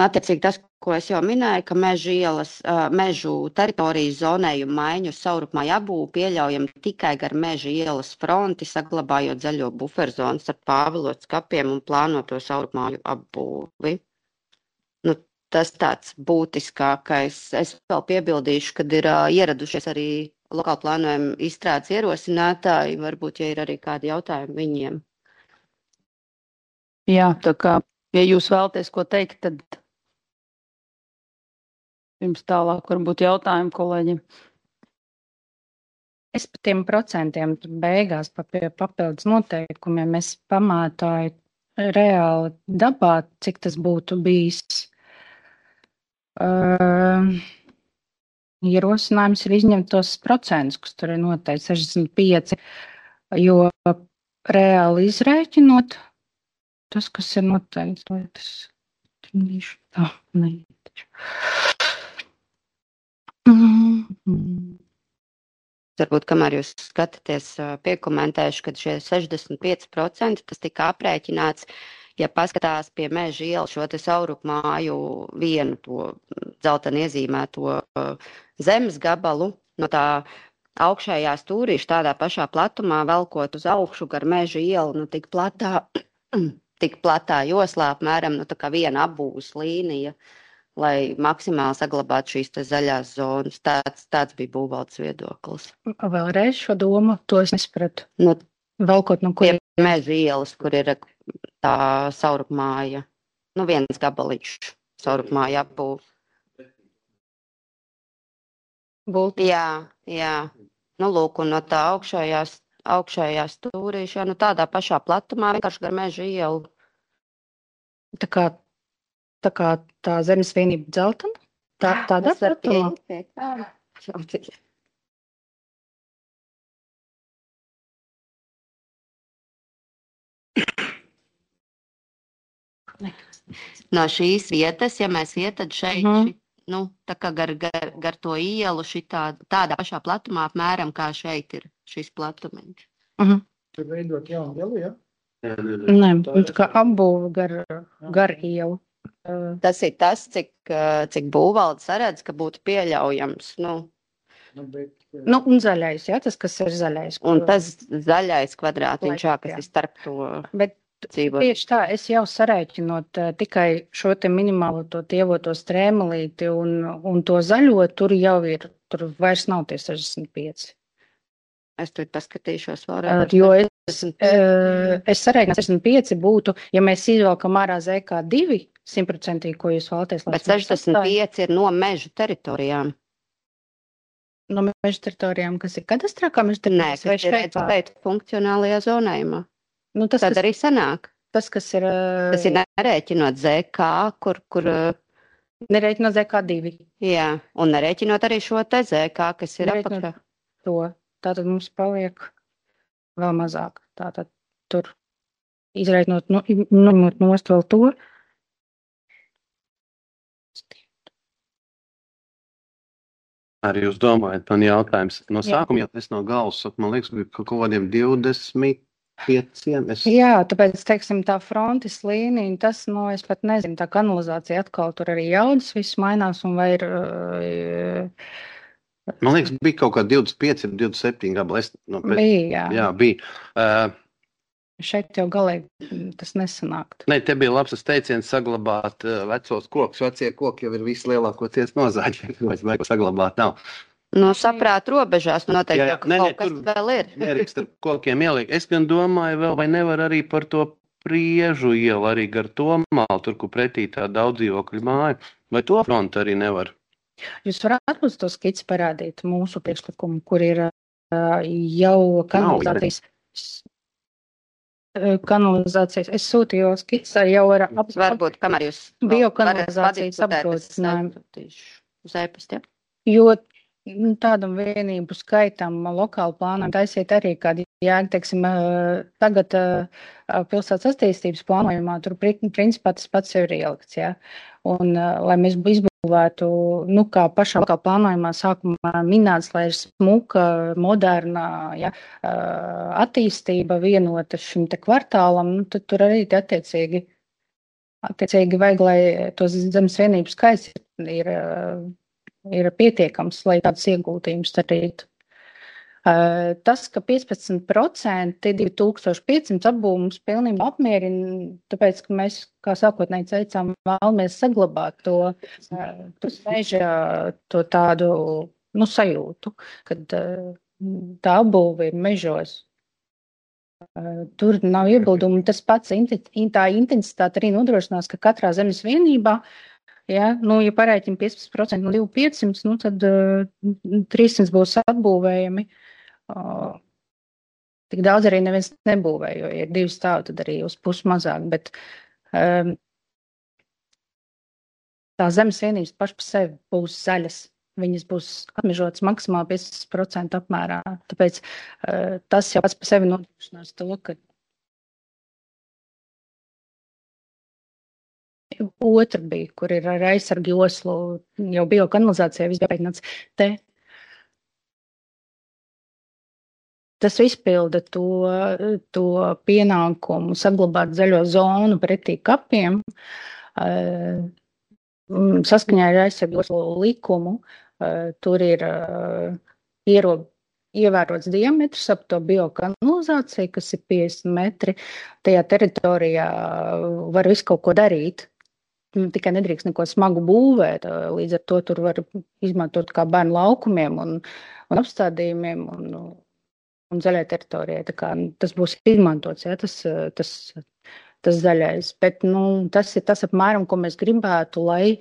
attiecīgi tas, ko es jau minēju, ka mežu teritorijas zonējumu maiņu saurupmāju apbūvi pieļaujam tikai gar meža ielas fronti, saglabājot zaļo buferzonu starp Pāvilots kapiem un plānoto saurupmāju apbūvi. Tas tāds būtiskākais. Es vēl piebildīšu, kad ir ieradušies arī lokāli plānojuma izstrādes ierosinātāji, varbūt, ja ir arī kādi jautājumi viņiem. Jā, tā kā, ja jūs vēlaties ko teikt, tad pirms tālāk varbūt jautājumi kolēģiem. Es par tiem procentiem beigās pie papildus noteikumiem es pamātāju reāli dabā, cik tas būtu bijis. Ierosinājums ir izņemt tos procentus, kas tur ir noteikti 65, jo reāli izrēķinot tas, kas ir noteikts, lai tas trīnīšu tā, neitaču. Varbūt, kamēr jūs skatāties, piekomentēšu, ka šie 65% tas tika aprēķināts, ja paskatās pie meža ielas šo te saurupmāju vienu to dzelteni iezīmēto zemes gabalu, no tā augšējā stūrīša tādā pašā platumā velkot uz augšu gar meža ielu, tik platā joslā apmēram, tā kā viena apbūves līnija, lai maksimāli saglabātu šīs te zaļās zonas. Tāds bija būvvaldes viedoklis. Vēlreiz šo domu, to es nespratu. Velkot no kur? Pie meža ielas, kur ir tā saurupmāja, viens gabaliņš saurupmāja apbūve. Jā. Lūk, un no tā augšējā stūrīša, tādā pašā platumā, vienkārši gar meža ielu. Tā kā tā zemes vienība dzeltena? Tādā platumā? No šīs vietas, ja mēs iet, tad šeit, tā kā gar to ielu tādā pašā platumā apmēram, kā šeit ir šis platumiņš. Tur veidot jaunu ielu, ja? Nē, tā kā apbūve gar ielu. Tas ir tas, cik būvvalde saredz, ka būtu pieļaujams, un zaļais, jā, tas, kas ir zaļais. Un tas zaļais kvadrātiņš, kas ir starp to. Bet tieši tā, es jau sarēķinot tikai šo te minimālo to tievoto strēmelīti un to zaļo, tur jau ir, tur vairs nav tie 65. Es tur paskatīšos vēlreiz. Jo es sarēķinu 65 būtu, ja mēs izvelkam ārā ZK2 100%, ko jūs vēlaties. Bet 65 ir no meža teritorijām. No meža teritorijām, kas ir kadastrā, kā meža teritorijās? Nē, kas ir šeit funkcionālajā zonējumā. Tad arī sanāk. Tas, kas ir... Tas ir nerēķinot ZK, kur... Nerēķinot ZK2. Jā, un nerēķinot arī šo te ZK, kas ir apakšā. Tātad mums paliek vēl mazāk. Tātad tur izrēķinot, ņemot nost vēl to. Arī jūs domājat, man jautājums no sākuma, ja es no galvas saku, man liekas, bija kaut kādiem 20... Jā, tāpēc, teiksim, tā frontes līnija, tas, es pat nezinu, tā kanalizācija atkal tur arī jaudas, viss mainās un vai ir... Man liekas, bija kaut kā 25, 27 gabali. Bija, jā. Bija. Šeit jau galīgi tas nesanākt. Nē, te bija labs teiciens saglabāt vecos kokus. Vecie koki jau ir visi lielākoties nozāģi, vai saglabāt nav. Saprāt robežās, noteikti, ka kaut kas vēl ir. Nerīkst ar kokiem ielikt. Es gan domāju vēl, vai nevar arī par to Priežu ielu, arī gar to malu, tur, kur pretī tā daudz dzīvokļu māja, vai to frontu arī nevar? Jūs varētu mums to skici parādīt mūsu priekšlikumu, kur ir jau kanalizācijas. kanalizācijas. Es sūtīju skicā jau ar Varbūt, kamēr jūs biokanalizācijas apgrozinājumu. Uz e-pasta, ja? Jo tādam vienību skaitam lokāli plānām taisiet arī kādi jēga, teiksim, tagad pilsētas attīstības plānojumā tur principā tas pats jau ir ielikts, jā. Un, lai mēs izbūvētu, kā pašā lokāli plānojumā sākumā minēts, lai ir smuka, moderna, jā, attīstība vienota šim te kvartālam, tad tur arī attiecīgi vajag, lai tos zemes vienības skaits ir pietiekams, lai tāds ieguldījums darītu. Tas, ka 15% 2500 apbūve mums pilnībā apmierina, tāpēc, ka mēs, kā sākotnēji teicām, vēlamies saglabāt to meža, to tādu, sajūtu, kad tā apbūve ir mežos. Tur nav iebildumu, tas pats tā intensitāte arī nodrošinās, ka katrā zemes vienībā, ja parēķina 15% no 2500, tad 300 būs atbūvējami. Tik daudz arī neviens nebūvē, jo ir 2 stāvi, tad arī uz pusi mazāk, bet tā zemes vienības paši par sevi būs zaļas. Viņas būs atmežotas maksimāli 15% apmērā. Tāpēc tas jau pats par sevi nodrošinās to, ka otra bija, kur ir ar aizsargu joslu, jau biokanalizācija, viss bija pētnāts te. Tas izpilda to pienākumu saglabāt zaļo zonu pretī kapiem. Saskaņā ar aizsargu joslu likumu tur ir ievērots diametrs ap to biokanalizāciju, kas ir 50 metri. Tajā teritorijā var visu kaut ko darīt. Tikai nedrīkst neko smagu būvēt, līdz ar to tur var izmantot kā bērnu laukumiem un apstādījumiem un zaļai teritorijai. Tā kā tas būs izmantots, ja, tas zaļais. Bet tas ir tas apmēram, ko mēs gribētu, lai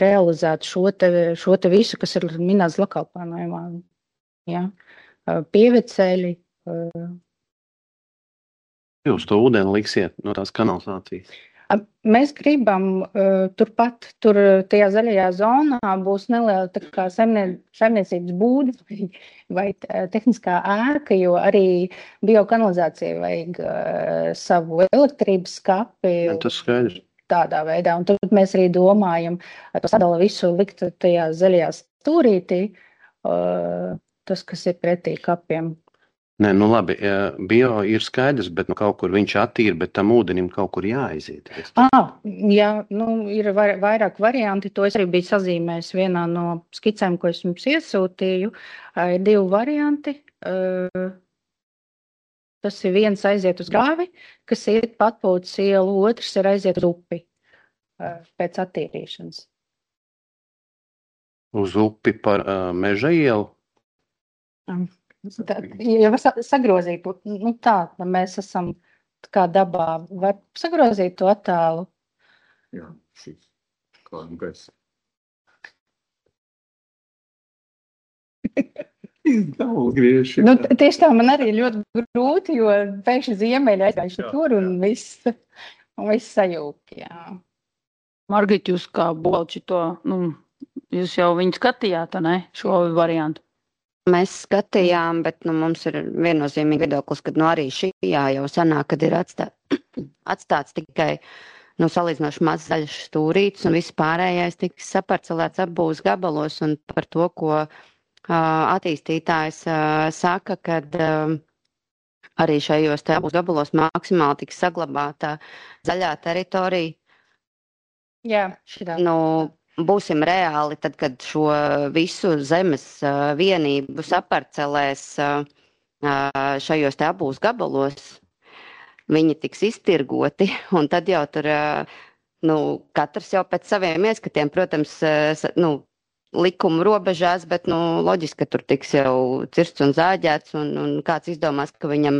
realizētu šo te visu, kas ir minēts lokāli plānojumā. Ja. Pieveceļi. Jūs to ūdeni liksiet no tās kanalizācijas? Mēs gribam turpat, tajā zaļajā zonā būs neliela tā kā saimniecības būda vai tehniskā ēka, jo arī biokanalizācija vajag savu elektrības skapi. Tas skaidrs. Tādā veidā, un tad mēs arī domājam, to sadala visu likt tajā zaļajā stūrītī, tas, kas ir pretī kapiem. Nē, labi, bio ir skaidrs, bet kaut kur viņš attīra, bet tam ūdenim kaut kur jāaiziet. Jā, ir vairāk varianti, to es arī biju sazīmējis vienā no skicēm, ko es jums iesūtīju. Ir 2 varianti. Tas ir viens aiziet uz grāvi, kas iet Patpūtas ielu, otrs ir aiziet uz upi pēc attīrīšanas. Uz upi par Meža ielu? Ja var sagrozīt, tā mēs esam kā dabā, var sagrozīt to attēlu. Jā, šis kādu gaisa. Tieši tā man arī ļoti grūti, jo pēkšņi ziemeļi aizgājuši tur un viss sajūk, jā. Margit, jūs kā bolči to, jūs jau viņu skatījāt, ne, šo variantu? Mēs skatījām, bet mums ir viennozīmīgi viedoklis, ka arī šajā jau sanāk, kad ir atstāts tikai salīdzinoši maz zaļš stūrīts un viss pārējais tiks saparcelēts apbūves gabalos, un par to, ko attīstītājs saka, kad arī šajos te apbūves gabalos maksimāli tiks saglabāta zaļā teritorija. Jā, šitā. Būsim reāli, tad, kad šo visu zemes vienību saparcelēs šajos te apbūves gabalos, viņi tiks iztirgoti, un tad jau tur, katrs jau pēc saviem ieskatiem, protams, likumu robežās, bet, loģiski, ka tur tiks jau cirsts un zāģēts, un kāds izdomās, ka viņam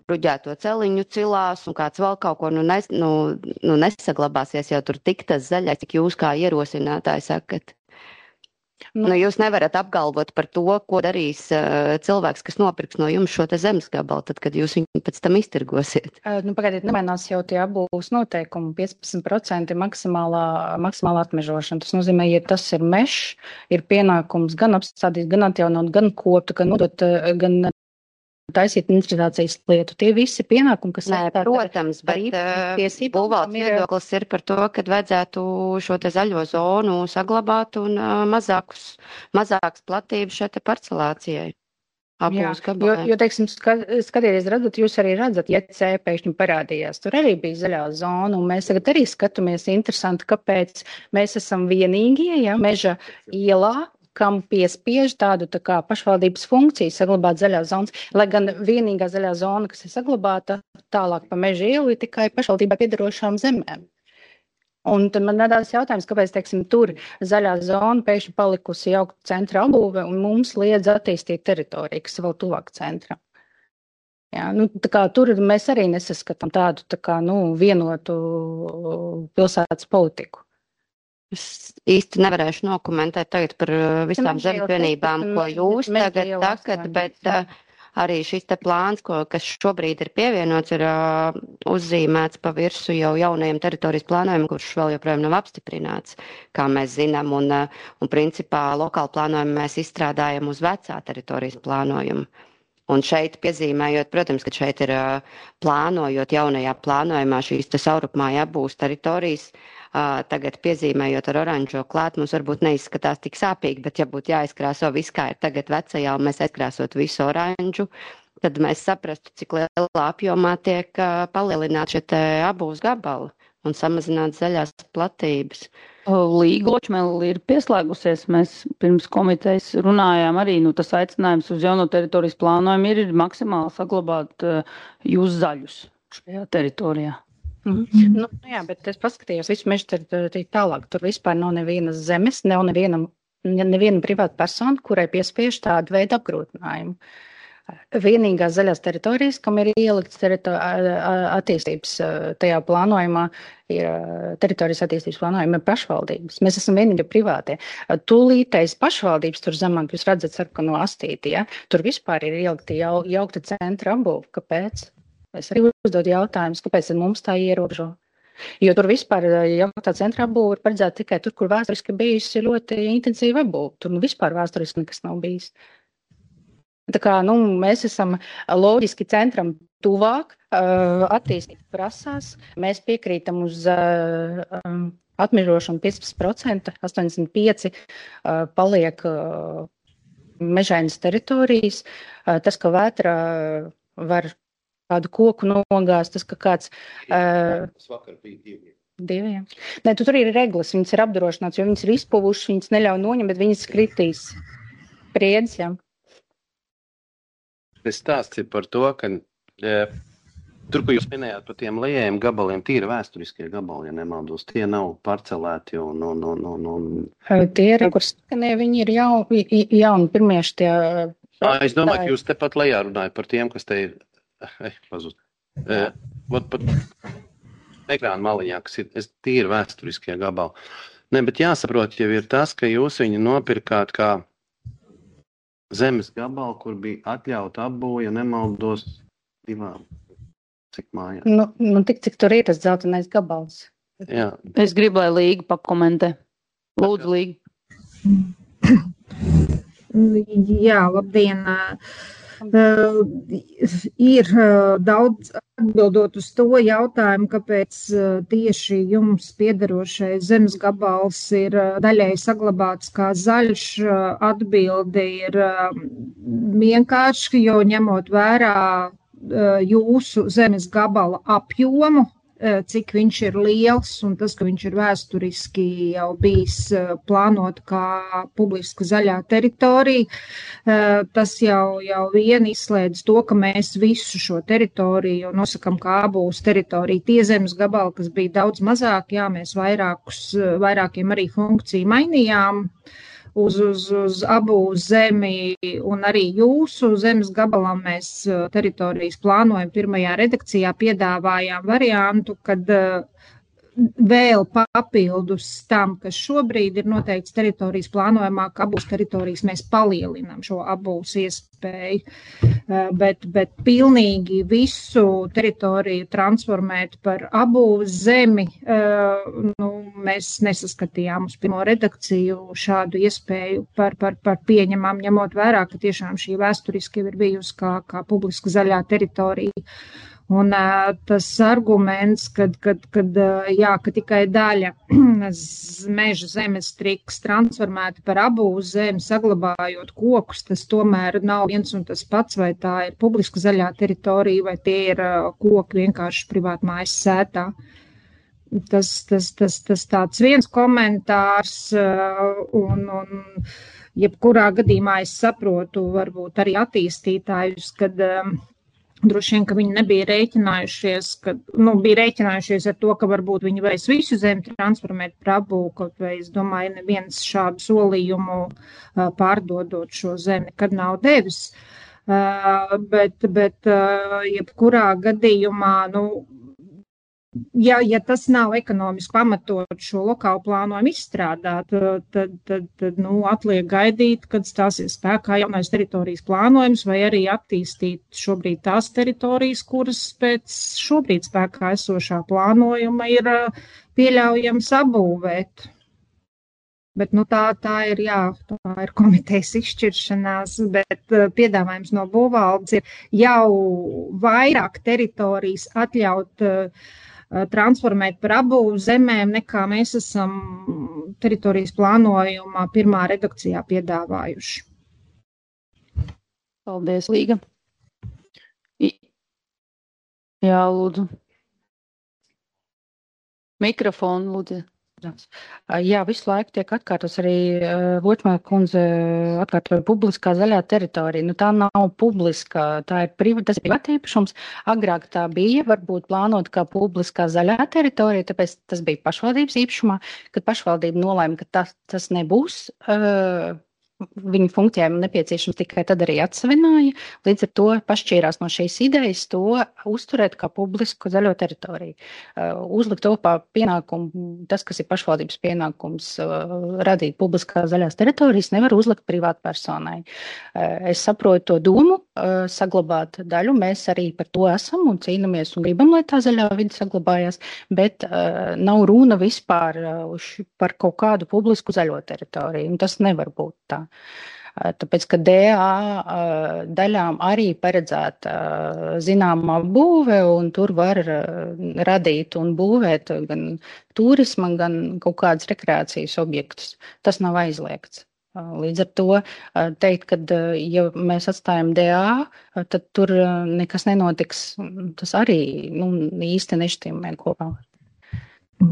bruģēto celiņu cilās, un kāds vēl kaut ko, nesaglabāsies jau tur tik tas zaļais, cik jūs kā ierosinātāji sakat. Jūs nevarat apgalvot par to, ko darīs cilvēks, kas nopirks no jums šo te zemes gabalu, tad, kad jūs viņu pēc tam iztirgosiet. Pagaidiet, nemainās jau tie abūs noteikumi, 15% maksimālā atmežošana. Tas nozīmē, ja tas ir mežs, ir pienākums gan apstādīt, gan atjaunot, gan kopt, gan nodot, gan taisīt interpretācijas lietu. Tie visi pienākumi, kas protams, bet būvvaldes viedoklis ir par to, ka vajadzētu šo te zaļo zonu saglabāt un mazākas platības šai te parcelācijai. Jo, teiksim, skatieties, redzat, jūs arī redzat, ja C pēkšņi parādījās, tur arī bija zaļā zona, un mēs tagad arī skatāmies interesanti, kāpēc mēs esam vienīgie, meža ielā, kam piespiež tādu tā kā pašvaldības funkciju saglabāt zaļās zonas, lai gan vienīgā zaļā zona, kas ir saglabāta tālāk pa meža ielu, ir tikai pašvaldībai piedarošām zemēm. Un tad man radās jautājums, kāpēc, teiksim, tur zaļā zona pēkšņi palikusi jaukt centra apbūve un mums liedz attīstīt teritoriju, kas vēl tuvāk centram. Jā, tā kā tur mēs arī nesaskatām tādu tā kā, vienotu pilsētas politiku. Es īsti nevarēšu nokomentēt tagad par visām zemesvienībām, ko jūs tagad sakat, bet arī šis te plāns, kas šobrīd ir pievienots, ir uzzīmēts pa virsu jau jaunajiem teritorijas plānojumiem, kurš vēl joprojām nav apstiprināts, kā mēs zinām, un principā lokāli plānojumu mēs izstrādājam uz vecā teritorijas plānojumu. Un šeit piezīmējot, protams, ka šeit ir plānojot jaunajā plānojumā šīs te saurupmāja apbūves teritorijas, tagad piezīmējot ar oranžo klāt, mums varbūt neizskatās tik sāpīgi, bet ja būtu jāizkrāso viss, kā ir tagad vecajā, un mēs aizkrāsot visu oranžu, tad mēs saprastu, cik lielā apjomā tiek palielināt šie te apbūves gabali un samazināt zaļās platības. Līga Ločmele ir pieslēgusies. Mēs pirms komitejas runājām arī, tas aicinājums uz jauno teritorijas plānojumu ir maksimāli saglabāt jūs zaļus šajā teritorijā. Jā, bet es paskatījos visu mežu teritoriju tālāk. Tur vispār nav nevienas zemes, nav neviena privāta persona, kurai piespiež tādu veidu apgrūtinājumu. Vienīgās zaļās teritorijas, kam ir ielikts attīstības tajā plānojumā, ir teritorijas attīstības plānojuma pašvaldības. Mēs esam vienīgi privātie. Tūlītais pašvaldības tur zemāk, jūs redzat sarkano astīti, ja? Tur vispār ir ielikti jaukta centra apbūve. Kāpēc? Es arī uzdodu jautājumus, kāpēc mums tā ierobežo. Jo tur vispār jauktā centra apbūve ir paredzēta tikai tur, kur vēsturiski bijusi ļoti intensīva apbūve. Tur vispār vēsturiski nekas nav bijis. Tā kā, mēs esam loģiski centram tuvāk, attīstīt prasās. Mēs piekrītam uz atmežošanu 15%, 85% paliek mežainas teritorijas. Tas, ka vētra var kādu koku nogāzt, tas, ka kāds... Tas vakar bija 2. Nē, tur ir reglas, viņas ir apdrošināts, jo viņas ir izpuvušas, viņas neļauj noņemt, bet viņas kritīs priedz, jā. Es stāstīju par to, ka tur, ko jūs minējāt par tiem liejiem gabaliem, tīri vēsturiskie gabali, ja nemaldos, tie nav parcelēti Tie ir, kur skanē, viņi ir jauni pirmieši tie... Es domāju, ka jūs tepat lejā runājat par tiem, kas te ir... Pazust. Pat ekrāna maliņā, kas ir tīri vēsturiskie gabali. Ne, bet jāsaprot jau ir tas, ka jūs viņu nopirkāt kā zemes gabalu, kur bija atļauta apbūve, ja nemaldos 2, cik mājās. Tik, cik tur ir tas dzeltenais gabals. Jā. Es gribu, lai Līga pakomentē. Lūdzu, Līga. Jā, labdien. Ir daudz atbildot uz to jautājumu, kāpēc tieši jums piederošais zemes gabals ir daļai saglabāts kā zaļš. Atbilde ir vienkārši, jo ņemot vērā jūsu zemes gabala apjomu, cik viņš ir liels un tas, ka viņš ir vēsturiski jau bijis plānot kā publiska zaļā teritorija, tas jau vien izslēdz to, ka mēs visu šo teritoriju nosakam kā apbūves teritoriju. Tie zemes gabali, kas bija daudz mazāk, jā, mēs vairākiem arī funkciju mainījām uz apbūves zemi un arī jūsu zemes gabalam mēs teritorijas plānojam pirmajā redakcijā piedāvājām variantu, kad vēl papildus tam, kas šobrīd ir noteikts teritorijas plānojumā, ka abūs teritorijas mēs palielinām šo abūs iespēju, bet pilnīgi visu teritoriju transformēt par abūs zemi, mēs nesaskatījām uz pirmo redakciju šādu iespēju par pieņemām, ņemot vērā, ka tiešām šī vēsturiski ir bijusi kā publiska zaļā teritorija. Un tas arguments, ka tikai daļa meža zemes tiks transformēta par abūs zemi, saglabājot kokus, tas tomēr nav viens un tas pats, vai tā ir publiska zaļā teritorija, vai tie ir koki vienkārši privāti mājas sētā. Tas tāds viens komentārs, un jebkurā gadījumā es saprotu varbūt arī attīstītājus, kad droši vien, ka viņi nebija rēķinājušies, bija rēķinājušies ar to, ka varbūt viņi varēs visu zemi transformēt par abū, kaut vai es domāju, neviens šādu solījumu pārdodot šo zemi nekad nav devis. Bet jebkurā gadījumā, ja tas nav ekonomiski pamatot šo lokālu plānojumu izstrādāt, tad atliek gaidīt, kad stāsies spēkā jaunais teritorijas plānojums, vai arī attīstīt šobrīd tās teritorijas, kuras pēc šobrīd spēkā esošā plānojuma ir pieļaujams apbūvēt. Bet tā ir komitejas izšķiršanās, bet piedāvājums no būvvaldes ir jau vairāk teritorijas atļaut transformēt par abūs zemēm, nekā mēs esam teritorijas plānojumā pirmā redakcijā piedāvājuši. Paldies, Līga. Jā, lūdzu. Mikrofonu, lūdzu. Jā, visu laiku tiek atkārtos arī Vočmāra kundze atkārtoja publiskā zaļā teritorija. Tā nav publiska, tas ir privāta īpašums. Agrāk tā bija, varbūt plānot kā publiskā zaļā teritorija, tāpēc tas bija pašvaldības īpašumā, kad pašvaldība nolēma, ka tas nebūs viņu funkcijām nepieciešams, tikai tad arī atsavināja. Līdz ar to pašķīrās no šīs idejas to uzturēt kā publisku zaļo teritoriju. Uzlikt to kā pienākumu, tas, kas ir pašvaldības pienākums radīt publiskā zaļās teritorijas, nevar uzlikt privātpersonai. Es saprotu to domu, saglabāt daļu, mēs arī par to esam un cīnamies un gribam, lai tā zaļā vide saglabājās, bet nav runa vispār par kaut kādu publisku zaļo teritoriju, un tas nevar būt tā. Tāpēc, ka DA daļām arī paredzēta zināma būve, un tur var radīt un būvēt gan turisma, gan kaut kādas rekreācijas objektus. Tas nav aizliegts. Līdz ar to teikt, ka ja mēs atstājam DA, tad tur nekas nenotiks. Tas arī īsti nešķiemē kopā.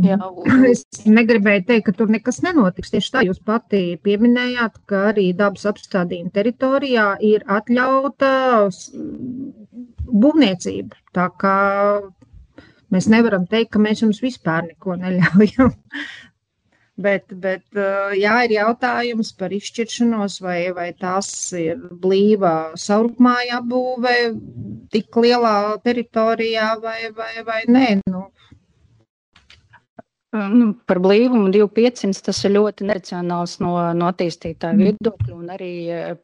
Jā. Es negribēju teikt, ka tur nekas nenotiks. Tieši tā jūs pati pieminējāt, ka arī dabas apstādījuma teritorijā ir atļauta būvniecība. Tā kā mēs nevaram teikt, ka mēs jums vispār neko neļaujam. Bet jā, ir jautājums par izšķiršanos, vai tās ir blīva saurummāja apbūve tik lielā teritorijā vai nē. Par blīvumu 2500 tas ir ļoti neracionāls no attīstītāju viedokļu un arī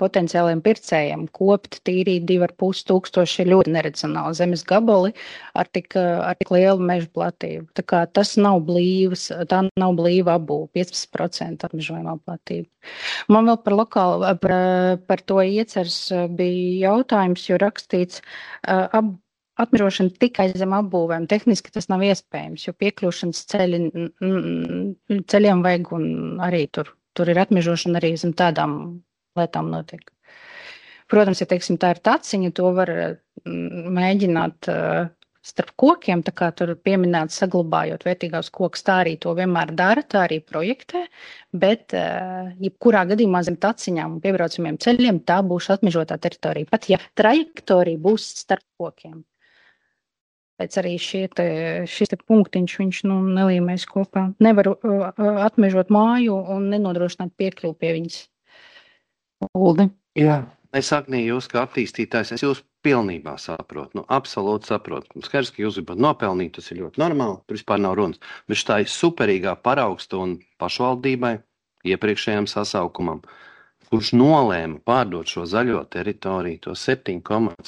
potenciāliem pircējiem. Kopt, tīrīt 2500 ir ļoti neracionāli zemes gabali ar tik lielu mežu platību. Tā kā tas nav blīvs, tā nav blīva apbūve, 15% apmežojumā platība. Man vēl par to ieceres bija jautājums, jo rakstīts atmežošana tikai zem apbūvēm. Tehniski tas nav iespējams, jo piekļūšanas ceļiem vajag un arī tur ir atmežošana arī zem tādām lietām notiek. Protams, ja teiksim, tā ir taciņa, to var mēģināt starp kokiem, tā kā tur pieminēt saglabājot vērtīgās kokus, tā arī to vienmēr dara, tā arī projektē, bet jebkurā gadījumā zem taciņām un piebraucamiem ceļiem tā būs atmežotā teritorija, pat ja trajektorija būs starp kokiem. Pēc arī šis punktiņš viņš nelīmēs kopā. Nevar atmežot māju un nenodrošināt piekļuvi pie viņas. Uldi. Jā, es Agnī, jūs kā attīstītājs, es jūs pilnībā saprotu, absolūti saprotu. Skaidrs, ka jūs gribat nopelnīt, tas ir ļoti normāli, tur vispār nav runas. Bet tā ir superīgā paraugstunda pašvaldībai, iepriekšējām sasaukumam, kurš nolēma pārdot šo zaļo teritoriju, to 7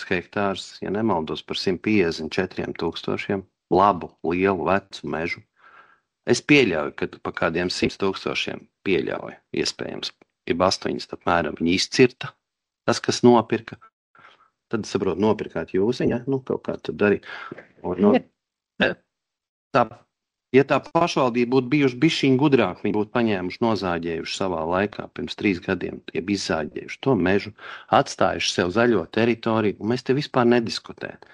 hektārus, ja nemaldos par 154 000 labu, lielu, vecu mežu. Es pieļauju, ka pa kādiem 100 000 pieļauju, iespējams, ja 8 apmēram viņi izcirta, tas, kas nopirka. Tad, saprotu, nopirkāt jūs, ja? Kaut kā tad darīt. Ja tā pašvaldība būtu bijuši bišķiņ gudrāk, viņi būtu paņēmuši, nozāģējuši savā laikā, pirms 3 gadiem, tie bija izzāģējuši to mežu, atstājuši sev zaļo teritoriju, un mēs te vispār nediskutētu.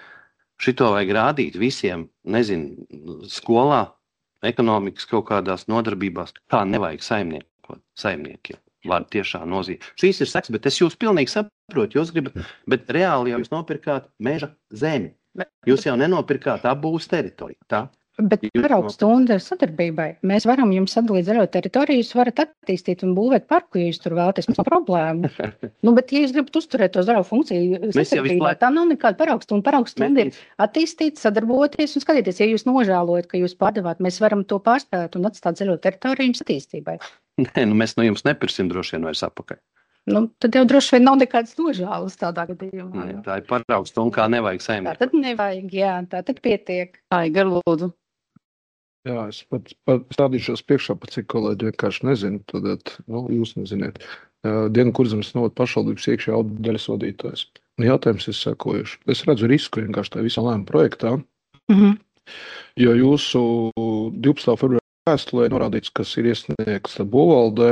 Šito vajag rādīt visiem, nezinu, skolā, ekonomikas kaut kādās nodarbībās, kā nevajag saimniekiem. Var tiešām nozīmēt. Šīs ir seks, bet es jūs pilnīgi saprotu, jūs gribat, bet reāli jau jūs nopirkāt meža zemi. Jūs jau nenopirkāt apbūves teritoriju, tā? Bet paraugstunda ir sadarbībai. Mēs varam jums sadalīt zaļo teritoriju, jūs varat attīstīt un būvēt parku, ja jūs tur vēlaties, mums nav problēma. Bet ja jūs gribat uzturēt to zaļo funkciju sadarbībā, tā nav nekāda paraugstunda. Paraugstunda ir attīstīt, sadarboties un skatīties, ja jūs nožēlojat, ka jūs pārdevāt, mēs varam to pārspēt un atstāt zaļo teritoriju jums attīstībai. Nē, mēs no jums nepirksim droši vien vairs apakaļ. Tad jau droši vien nav nekādas nožēlas tādā gadījumā. Nē, tā ir paraugstunda, kā nevajag saimniekot. Tā tad nevajag, jā, tā tad pietiek. Aigar, lūdzu. Jā, es pat stādīšos priekšā, pat cik kolēģi vienkārši nezinu, tad, jūs neziniet. Dienu Kurzemes novada pašvaldības iekšējā auditdaļas vadītājs. Jautājums ir sekojuši. Es redzu risku vienkārši tā visā lēma projektā, jo jūsu 12. februāra vēstulē norādīts, kas ir iesniegts būvvaldē,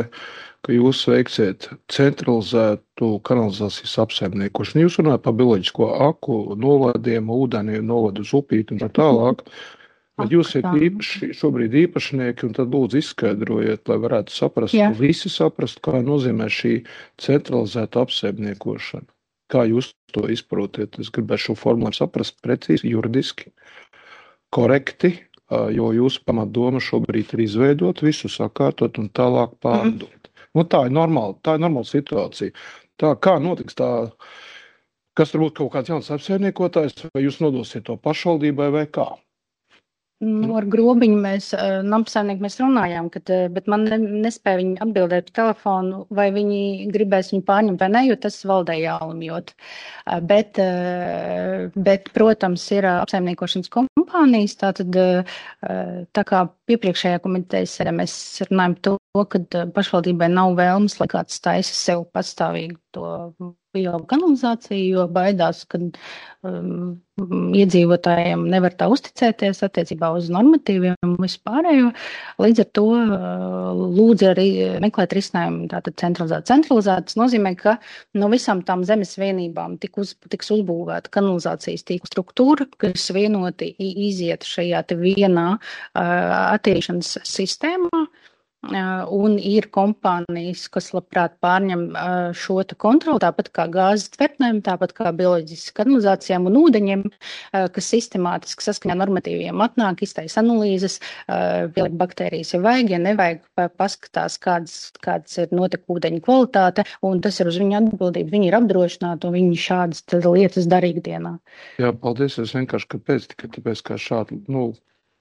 ka jūs veiksiet centralizētu kanalizācijas apsaimniekošanu. Jūs runājat par bioloģisko aku, novadiem, ūdeni, novadu uz upīti un tā tālāk. Bet jūs esat šobrīd īpašnieki, un tad lūdzu izskaidrojiet, lai varētu saprast, visi saprast, kā nozīmē šī centralizēta apsaimniekošana. Kā jūs to izprotiet? Es gribētu šo formulējumu saprast precīzi, juridiski, korekti, jo jūsu pamatdoma šobrīd ir izveidot, visu sakārtot un tālāk pārdot. Tā ir normāla situācija. Tā kā notiks tā, kas varbūt kaut kāds jauns apsaimniekotājs, vai jūs nodosiet to pašvaldībai vai kā? Ar grobiņu mēs runājām, bet man nespēja viņi atbildēt pa telefonu, vai viņi gribēs viņu pārņemt vai ne, jo tas valdē jālemjot. Bet, protams, ir apsaimniekošanas kompānijas, tātad tā kā iepriekšējā komitejas sēdē mēs runājam to, ka pašvaldībai nav vēlmes, lai kāds taisa sev patstāvīgu to biokanalizāciju, jo baidās, ka iedzīvotājiem nevar tā uzticēties attiecībā uz normatīviem un vispārējo. Līdz ar to lūdzu arī meklēt risinājumu tātad centralizēt. Tas nozīmē, ka no visām tām zemes vienībām tiks uzbūvēta kanalizācijas tīkla struktūra, kas vienoti iziet šajā te vienā attīrīšanas sistēmā. Un ir kompānijas, kas labprāt pārņem šo kontroli, tāpat kā gāzes tvertnēm, tāpat kā bioloģiskas kanalizācijām un ūdeņiem, kas sistemātiski saskaņā normatīviem atnāk, iztaisa analīzes, pieliek baktērijas, ja vajag, ja nevajag, paskatās, kāds ir notekūdeņu kvalitāte, un tas ir uz viņu atbildību. Viņi ir apdrošināti, un viņi šādas lietas dara ikdienā. Jā, paldies, es vienkārši kāpēc, tikai tāpēc, kā šādi,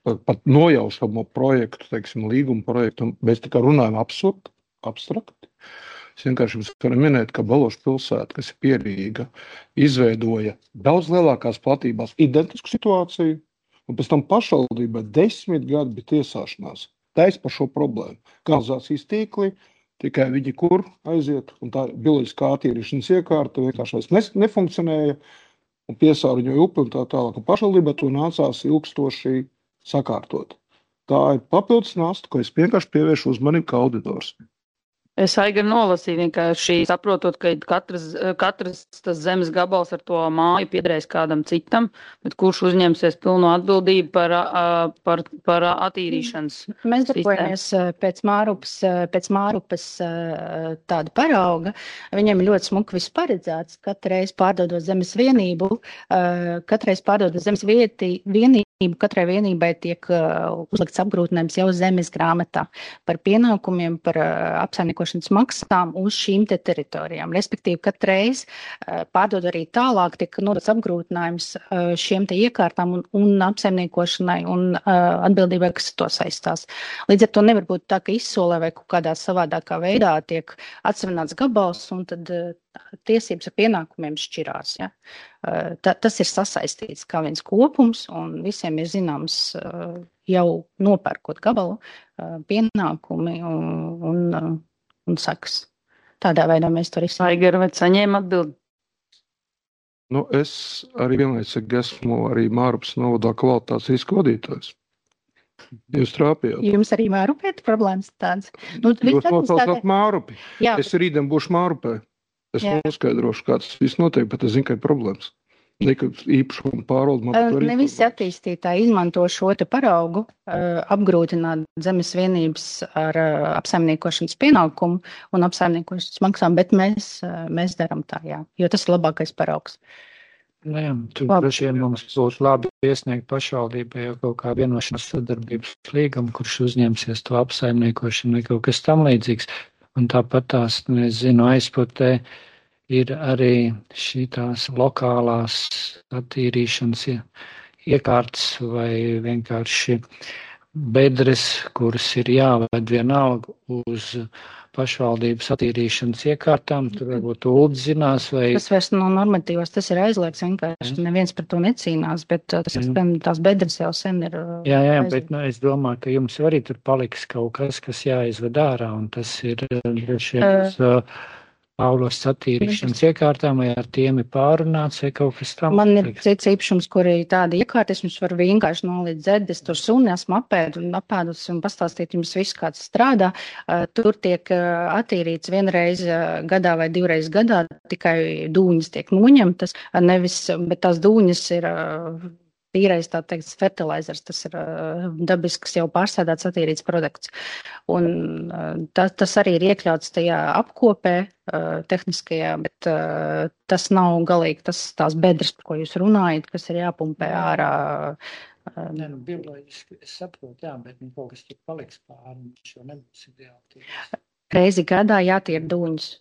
pat nojaušamo projektu, teiksim, līguma projektu, mēs tikai runājam abstrakti. Es vienkārši jums varu minēt, ka Balošu pilsēta, kas ir Pierīga, izveidoja daudz lielākās platībās identisku situāciju, un pēc tam pašvaldībai 10 gadi bija tiesāšanās. Taisa par šo problēmu. Kanalizācijas tīkli, tikai viņi kur aiziet, un tā bioloģiskā attīrīšanas iekārta vienkārši nefunkcionēja, un piesārņoja upi un tā tālāk. Pašvaldībai to nācās ilgstoši sakārtot. Tā ir papildus nasta, ko es vienkārši pievēršu uzmanību kā auditors. Es Aigar nolasīju vienkārši saprotot, ka katrs tas zemes gabals ar to māju piederēs kādam citam, bet kurš uzņemsies pilnu atbildību par attīrīšanas sistēmu. Mēs darbojamies pēc Mārupes tāda parauga. Viņiem ļoti smuki viss paredzēts. Katreiz pārdodot zemes vienību, katreiz pārdodot zemes vienību, Katrai vienībai tiek uzlikts apgrūtinājums jau zemes grāmatā par pienākumiem, par apsaimniekošanas maksām uz šīm te teritorijām. Respektīvi, katreiz pārdod arī tālāk, tiek nodots apgrūtinājums šiem te iekārtām un apsaimniekošanai un atbildībai, kas to saistās. Līdz ar to nevar būt tā, ka izsolē vai kaut kādā savādākā veidā tiek atsevināts gabals un tad tiesības ar pienākumiem šķirās. Ja? Tas ir sasaistīts kā viens kopums un visiem ir zināms jau nopērkot gabalu pienākumi un sekas. Tādā veidā mēs to risinām. Aigara, vai saņēma atbildi? Nu, es arī vienlaicīgi esmu arī Mārupas novadā kvalitātes riska vadītājs. Jūs trāpījāt. Jums arī Mārupē problēmas tāds? Nu, Jūs nosaucāt Mārupi. Jā. Es rītdien būšu Mārupē. Es noskaidrošu, kāds viss notiek, bet es zinu, ka ir problēmas. Nekad īpašumu pārvaldu. Ne visi attīstītāji izmanto šo te paraugu, apgrūtināt zemes vienības ar apsaimniekošanas pienākumu un apsaimniekošanas maksām, bet mēs daram tā, jā, jo tas ir labākais paraugs. Jā, tur droši vien mums būtu labi iesniegt pašvaldībai jau kaut kā vienošanās sadarbības līgumu, kurš uzņemsies to apsaimniekošanu vai kaut kas tam līdzīgs. Un tāpat tās, es zinu, aizputē ir arī šitās lokālās attīrīšanas iekārtas vai vienkārši bedres, kuras ir jāved vienalga uz pašvaldības attīrīšanas iekārtām. Tur varbūt Uldis zinās vai... Tas vairs no normatīvas, tas ir aizliegts vienkārši. Neviens par to necīnās, bet tās bedres jau sen ir... Jā, bet es domāju, ka jums arī tur paliks kaut kas, kas jāizved ārā, un tas ir droši vien Paulos attīrīšanas iekārtām, vai ar tiem ir pārunāts, vai kaut kas tam. Man ir cits īpašums, kur ir tāda iekārta, es jums varu vienkārši nolīdz dzēdes, tur suni esmu apēdus un pastāstīt jums visu, kāds strādā. Tur tiek attīrīts vienreiz gadā vai divreiz gadā, tikai dūņas tiek noņemtas, bet tās dūņas ir tīrais, tā teikt, fertilizers, tas ir dabisks jau pārsēdāts attīrīts produkts. Un tas arī ir iekļauts tajā apkopē tehniskajā, bet tas nav galīgi tās bedres, par ko jūs runājat, kas ir jāpumpē ārā. Bioloģiski es saprotu, jā, bet kaut kas tur paliks pāri, šo nebūs ideāli. Reizi gadā jātīra dūņas.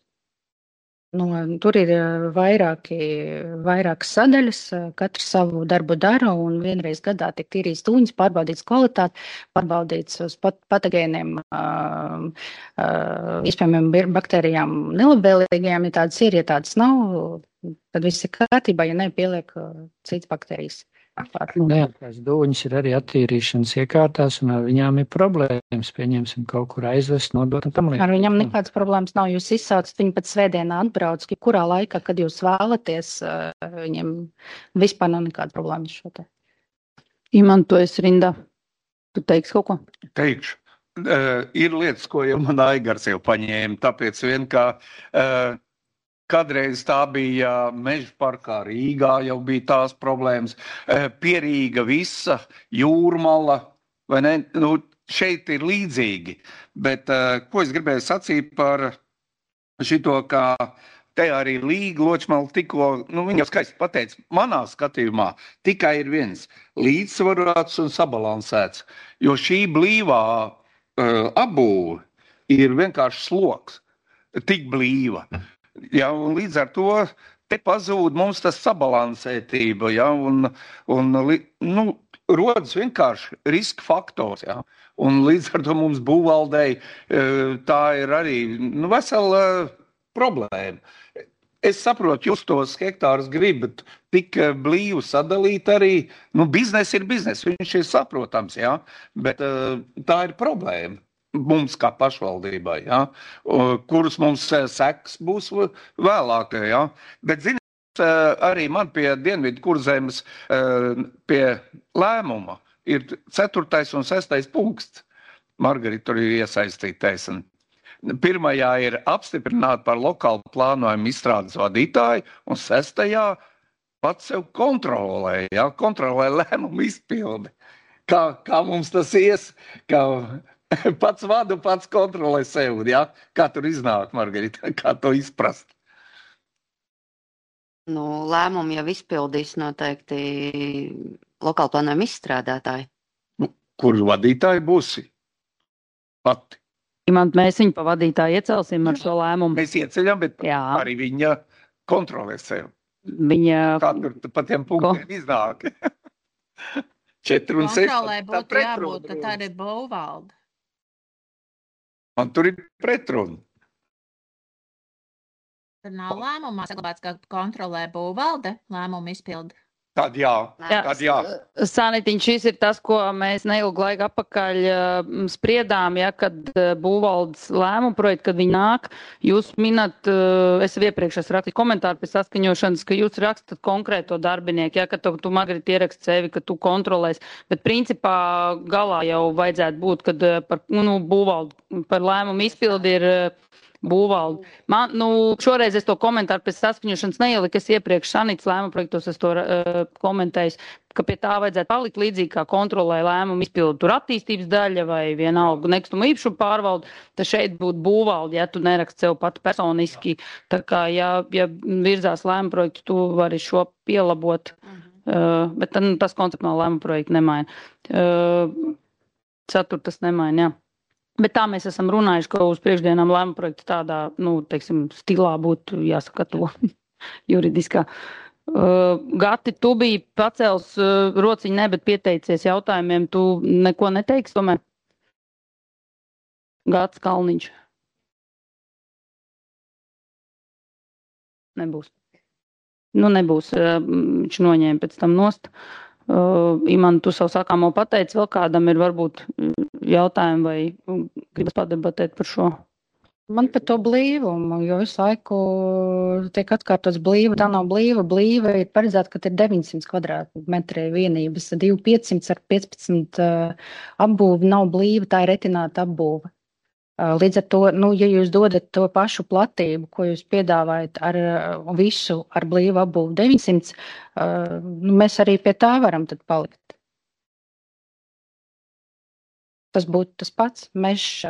Tur ir vairākas sadaļas, katrs savu darbu dara un vienreiz gadā tiek tīrīts dūņas, pārbaudīts kvalitāti, pārbaudīts uz patogēniem, iespējamiem baktērijām nelabvēlīgajām, ja tādas ir, ja tādas nav, tad viss ir kārtībā, ja ne, pieliek citas baktērijas. Tās dūņas ir arī attīrīšanas iekārtās, un ar viņām ir problēmas. Pieņemsim kaut kur aizvest, nodot un tam līdzīgi. Ar viņām nekādas problēmas nav. Jūs izsaucat viņu pat svētdienā atbrauc, kurā laikā, kad jūs vēlaties, viņiem vispār nav nekāda problēma šo te. Imantojas rindā. Tu teiksi kaut ko? Teikšu. Ir lietas, ko jau man Aigars jau paņēma, tāpēc vien kā... Kadreiz tā bija Meža parkā Rīgā, jau bija tās problēmas. Pierīga visa, Jūrmala, vai ne? Šeit ir līdzīgi. Bet ko es gribēju sacīt par šito, kā te arī Līga Ločmala tikko, viņa skaisti pateica, manā skatījumā tikai ir viens līdzsvarots un sabalansēts, jo šī blīvā apbūve ir vienkārši sloks, tik blīva. Ja, un līdz ar to te pazūd mums tas sabalansētība, ja, un rodas vienkārši riska faktors, ja, un līdz ar to mums būvvaldei tā ir arī vesela problēma. Es saprotu, jūs tos hektārus gribat tik blīvi sadalīt arī, biznes ir biznes, viņš ir saprotams, ja, bet tā ir problēma. Mums kā pašvaldībai, ja, kurus mums seks būs vēlāk. Ja. Bet, ziniet, arī man pie Dienvidu Kurzemes pie lēmuma ir 4. un 6. punkts. Margarita tur ir iesaistītais. Pirmajā ir apstiprināt par lokālu plānojumu izstrādes vadītāju, un 6. pats sev kontrolē, ja, kontrolē lēmumu izpildi. Kā mums tas ies, kā... Pats vadu, pats kontrolē sev, ja? Kā tur iznāk, Margarita, kā to izprast? Lēmumu jau izpildīs noteikti lokāla plānojuma izstrādātāji. Kur vadītāji būsi? Pati. Mēs viņu pa vadītāju iecelsim ar šo lēmumu. Mēs ieceļam, bet arī viņa kontrolē sev. Kā tur pa tiem punktiem iznāk? 4 un 6. Kontrolē būtu jābūt, ka tā ir būvvalde. Man tur ir pretruna. Tur nav lēmumā saglabāts, ka kontrolē būvvalde lēmumu izpildi. Tad jā. Sanitiņ, šis ir tas, ko mēs neilgu laiku atpakaļ spriedām, kad būvvaldes lēmumu projektu, kad viņi nāk, jūs minat, es iepriekš rakstīju komentāru pēc saskaņošanas, ka jūs rakstat konkrēto darbinieku, ka tu Margarita ierakst sevi, ka tu kontrolēs, bet principā galā jau vajadzētu būt, kad par būvvaldu, par lēmumu izpildi ir būvvalde. Man, šoreiz es to komentāru pēc saskaņošanas neieliku, es iepriekš Sanītas lēmuma projektos es to komentēju, ka pie tā vajadzētu palikt līdzīgi kā kontrolē lēmumu izpildu tur attīstības daļa vai vienalga nekustamo īpašumu pārvalde, tad šeit būtu būvvalde, ja tu neraksti sev pat personiski. Tā kā, ja virzās lēmuma projektu, tu vari šo pielabot, bet tas konceptuāli lēmuma projektu nemaina. Ceturtas nemaina, jā. Bet tā mēs esam runājuši, ka uz priekšdienām lēmuma projekta tādā, stilā būtu jāsaka to juridiskā. Gati, tu biji pacēls rociņu, bet pieteicies jautājumiem, tu neko neteiksi tomēr? Gats Kalniņš. Nebūs. Nebūs. Viņš noņēma pēc tam nost. Iman, tu savu sākāmo pateici, vēl kādam ir varbūt jautājumi vai gribas padebatēt par šo? Man par to blīvumu, jo visu laiku tiek atkārtots blīva, tā nav blīva. Blīva ir paredzēta, ka ir 900 kvadrātmetri vienības, 2500 ar 15 apbūve nav blīva, tā ir retināta apbūve. Līdz ar to, ja jūs dodat to pašu platību, ko jūs piedāvājat ar visu, ar blīvu apbūvu 900, mēs arī pie tā varam tad palikt. Tas būtu tas pats. Mežs,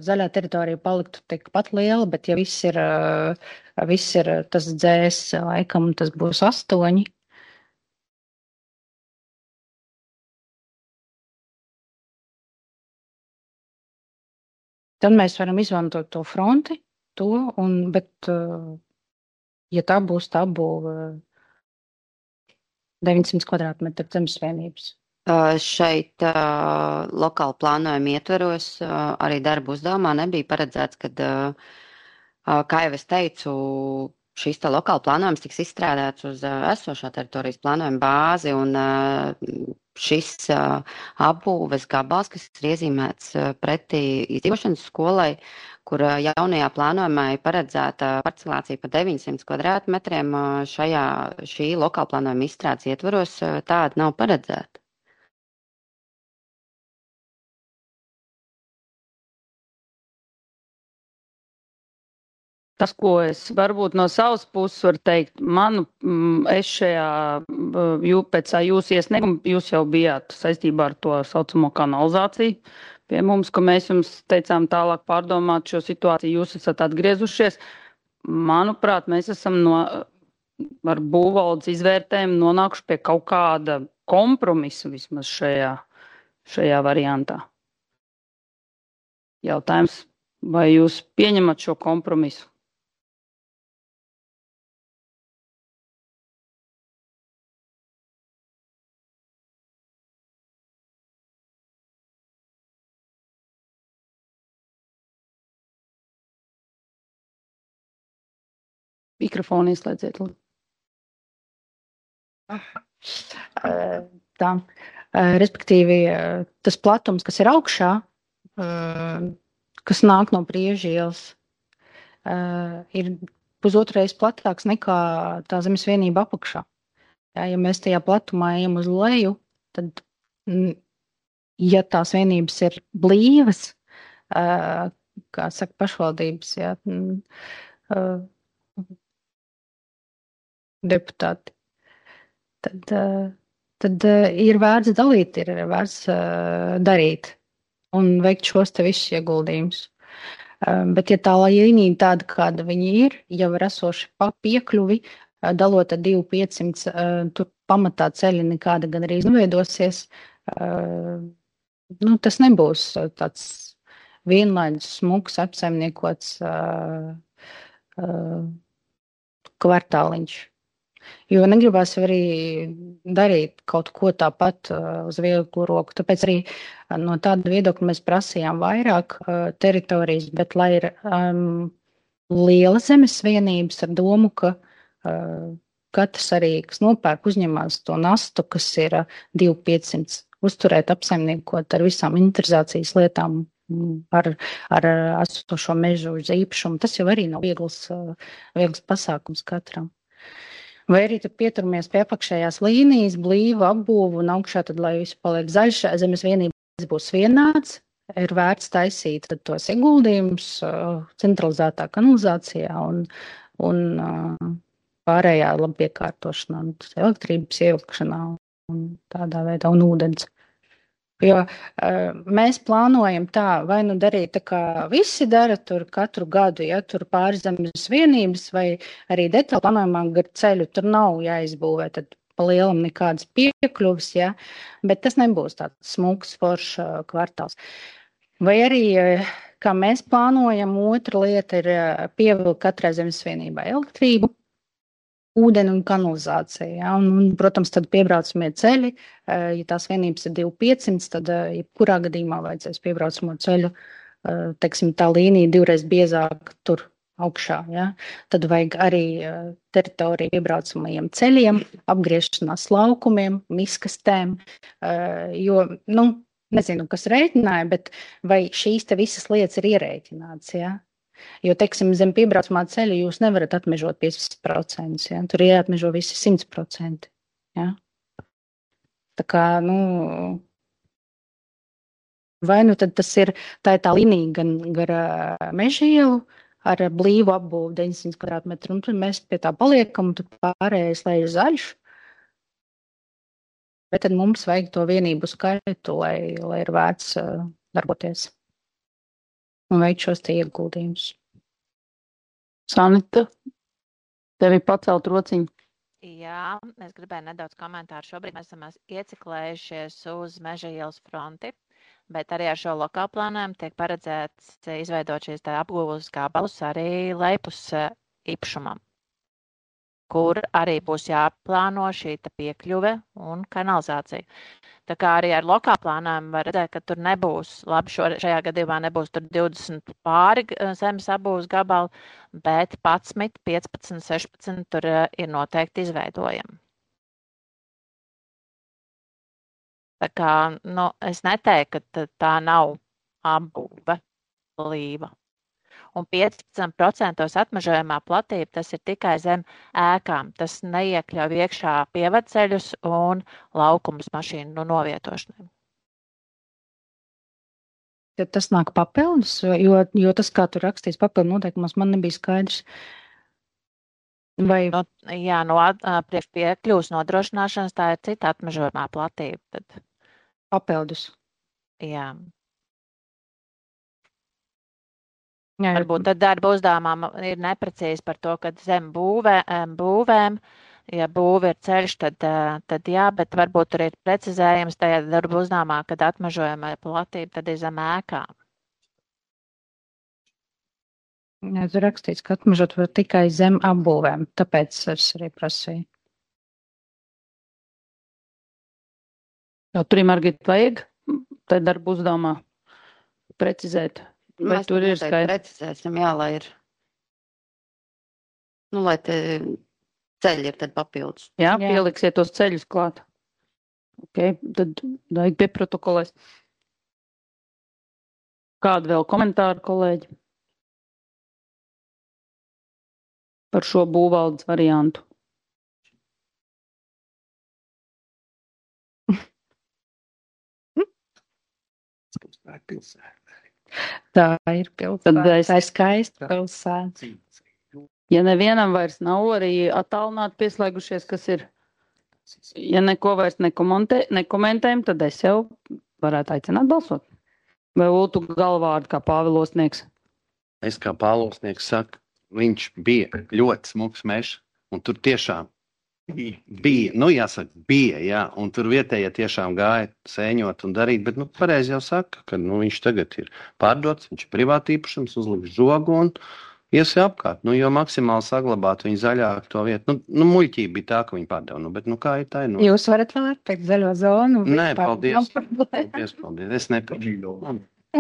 zaļā teritorija paliktu tikpat liela, bet ja viss ir tas dzēs, laikam tas būs 8. Tad mēs varam izmantot to fronti, bet ja tā būs tā būve 900 kvadrātmetru zemesvienības. Šeit lokāla plānojuma ietveros arī darba uzdevumā nebija paredzēts, kad, kā jau es teicu, šīs lokāla plānojums tiks izstrādāts uz esošā teritorijas plānojuma bāzi, un šis apbūves gabals, kas ir iezīmēts pretī izdzīvošanas skolai, kur jaunajā plānojumā ir paredzēta parcelācija pa 900 kvadrātmetriem, šī lokāla plānojuma izstrādes ietveros tāda nav paredzēta. Tas, ko es varbūt no savas puses varu teikt, es šajā, pēc jūsu iesnieguma, jūs jau bijāt saistībā ar to saucamo kanalizāciju pie mums, ka mēs jums teicām tālāk pārdomāt šo situāciju, jūs esat atgriezušies. Manuprāt, mēs esam ar būvvaldes izvērtējumu nonākuši pie kaut kāda kompromisa vismaz šajā variantā. Jautājums, vai jūs pieņemat šo kompromisu? Mikrofonu ieslēdziet. Tā. Respektīvi, tas platums, kas ir augšā, kas nāk no Priežu ielas, ir pusotrais platāks nekā tā zemes vienība apakšā. Ja mēs tajā platumā ejam uz leju, tad, ja tās vienības ir blīvas, kā saka pašvaldības, deputāti, tad ir vērts dalīt, ir vērts darīt un veikt šos te visus ieguldījumus. Bet ja tā līnija tāda, kāda viņi ir, jau ir esoši pa piekļuvi, dalot ar 2500, tur pamatā ceļi nekāda gan arī neveidosies. Tas nebūs tāds vienlaidus smuks apsaimniekots kvartāliņš. Jo negribās arī darīt kaut ko tāpat uz vieglu roku. Tāpēc arī no tāda viedokļa mēs prasījām vairāk teritorijas, bet lai ir liela zemes vienības ar domu, ka katrs arī, kas nopērk, uzņemās to nastu, kas ir 2500, uzturēt, apsaimniekot ar visām inventarizācijas lietām, ar esošo mežu uz īpašumu. Tas jau arī nav viegls pasākums katram. Vai arī tad pieturamies pie apakšējās līnijas, blīvu apbūvu un augšā tad, lai visu paliek zaļš, zemes vienības būs vienāds, ir vērts taisīt tad tos ieguldījumus centralizētā kanalizācijā un pārējā labiekārtošanā, elektrības ievilkšanā un tādā veidā un ūdens. Jo mēs plānojam tā, vai nu darīt tā, kā visi dara tur katru gadu, ja tur pāris zemes vienības, vai arī detāli plānojumā gar ceļu tur nav jāizbūvē, tad pa lielam nekādas piekļuvis, ja, bet tas nebūs tāds smuks foršs kvartāls. Vai arī, kā mēs plānojam, otra lieta ir pievilkt katrai zemes vienībai elektrību, ūdeni un kanalizācija. Ja? Un, protams, tad piebraucamie ceļi, ja tās vienības ir 2500, tad jebkurā gadījumā vajadzēs piebraucamo ceļu, teiksim, tā līnija divreiz biezāk tur augšā. Ja? Tad vajag arī teritoriju piebraucamajiem ceļiem, apgriešanās laukumiem, miskastēm, jo, nezinu, kas rēķināja, bet vai šīs te visas lietas ir ierēķināts, ja? Jo, teiksim, zem piebraucamā ceļa jūs nevarat atmežot 50%, ja? Tur ir jāatmežo visi 100%. Ja? Tā kā, vai nu tad tas ir tā līnija gan gar meža ielu ar blīvu apbūvu 900 kvadrātmetru, un tur mēs pie tā paliekam, un tur pārējais lai ir zaļš. Bet tad mums vajag to vienību skaitu, lai ir vērts darboties. Un veikt šos te ieguldījumus. Sanita, tevi pacelt rociņu. Jā, es gribēju nedaudz komentāru. Šobrīd mēs esam ieciklējušies uz Meža ielas fronti, bet arī ar šo lokālu plānojumu tiek paredzēts izveidot šīs apgūves gabalus arī lejpus īpašumam, kur arī būs jāplāno šī piekļuve un kanalizācija. Tā kā arī ar lokālu plānojumu var redzēt, ka tur nebūs, labi, šajā gadījumā nebūs tur 20 pāri zemes apbūves gabali, bet 11, 15, 16 tur ir noteikti izveidojami. Tā kā, es neteiktu, ka tā nav apbūve blīva. Un 15% atmežojamā platība, tas ir tikai zem ēkām. Tas neiekļauj iekšā pievadceļus un laukumus mašīnu novietošanai. Ja tas nāk papildus, jo tas, kā tur rakstīs papildu noteikumos, man nebija skaidrs. Vai... Jā, priekš piekļuvas nodrošināšanas tā ir cita atmežojamā platība. Tad... Papildus. Jā. Varbūt tad darba uzdevumam ir neprecīzi par to, ka zem būvēm, ja būve ir ceļš, tad jā, bet varbūt tur ir precizējums tajā darba uzdevumā, kad atmežojama platība, tad ir zem ēkām. Jā, tur rakstīts, ka atmežot var tikai zem apbūvēm, tāpēc es arī prasīju. Tur, Margita, vajag tai darba uzdevumā precizēt? Vai mēs tur ir skaidrs? Precizēsim, jā, lai ir, lai te ceļi ir tad papildus. Jā, pieliksiet tos ceļus klāt. Ok, tad vajag pieprotokolēs. Kādu vēl komentāru, kolēģi? Par šo būvvaldes variantu. Tā ir pilsēta. Tā ir skaista pilsēta. Ja nevienam vairs nav arī attālināti pieslēgušies, kas ir, ja neko vairs nekomentējam, tad es jau varētu aicināt balsot. Vai Ultu galvārdu kā pāvilosnieks? Es kā pāvilosnieks saku, viņš bija ļoti smuks mežs, un tur tiešām bija, jā, un tur vietējie tiešām gāja sēņot un darīt, bet, pareizi jau saka, ka, viņš tagad ir pārdots, viņš ir privāti īpašums, uzliks žogu un ies apkārt, jo maksimāli saglabāt viņa zaļāk to vietu. Muļķība bija tā, ka viņi pārdeva, bet, kā ir tā? Jūs varat vēl atpēc zaļo zonu? Nē, paldies. Paldies. Es nepieņu.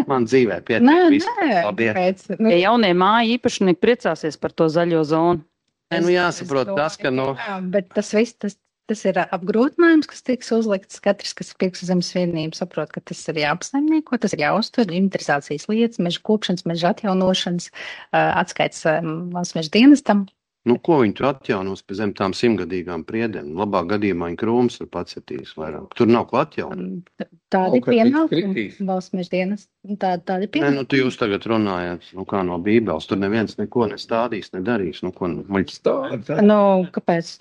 Man dzīvē pietiek. Paldies. Ja jaunie māja īpašnieki priecāsies par to zaļo zonu. Jāsaprot tas, ka, Jā, bet tas viss, tas ir apgrūtinājums, kas tiks uzlikts. Katrs, kas pirks zemes vienību, saprot, ka tas ir jāapsaimnieko, tas ir jāuztur, inventarizācijas lietas, meža kopšanas, meža atjaunošanas, atskaits valsts meža dienestam. Ko viņi tur atjaunos pie zem tām 100-gadīgām priedēm? Labāk gadījumā viņi krūmus ir pacetījis vairāk. Tur nav ko atjaunot. Tādi pienākumi valsts meža dienas. Tādi pienākumi. Tu jūs tagad runājat, kā no Bībeles. Tur neviens neko nestādīs, nedarīs. Kāpēc?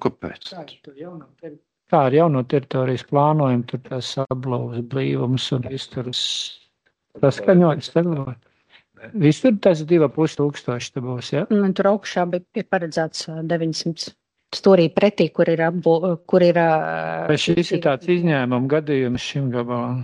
Kāpēc? Kā ar jauno teritorijas plānojumu, tur tās apblauvas blīvums un izturas saskaņots ceļot. Visur tas 2500 te būs, ja? Tur augšā ir paredzēts 900 stūrī pretī, kur ir... Vai šis ir tāds izņēmuma gadījums šim gabalam?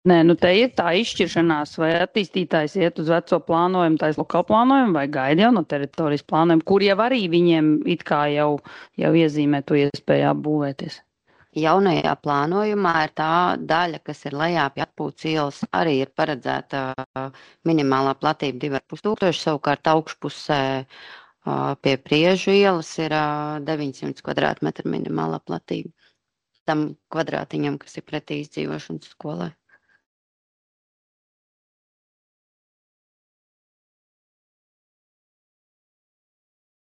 Nē, te ir tā izšķiršanās, vai attīstītājs iet uz veco plānojumu, tais lokālu plānojumu, vai gaida jau no teritorijas plānojumu, kur jau arī viņiem it kā jau iezīmē to iespēju apbūvēties. Jaunajā plānojumā ir tā daļa, kas ir lejā pie Atpūtas ielas, arī ir paredzēta minimālā platība 2500, savukārt augšpusē pie Priežu ielas ir 900 kvadrātmetru minimālā platība tam kvadrātiņam, kas ir pretī izdzīvošanas skolai.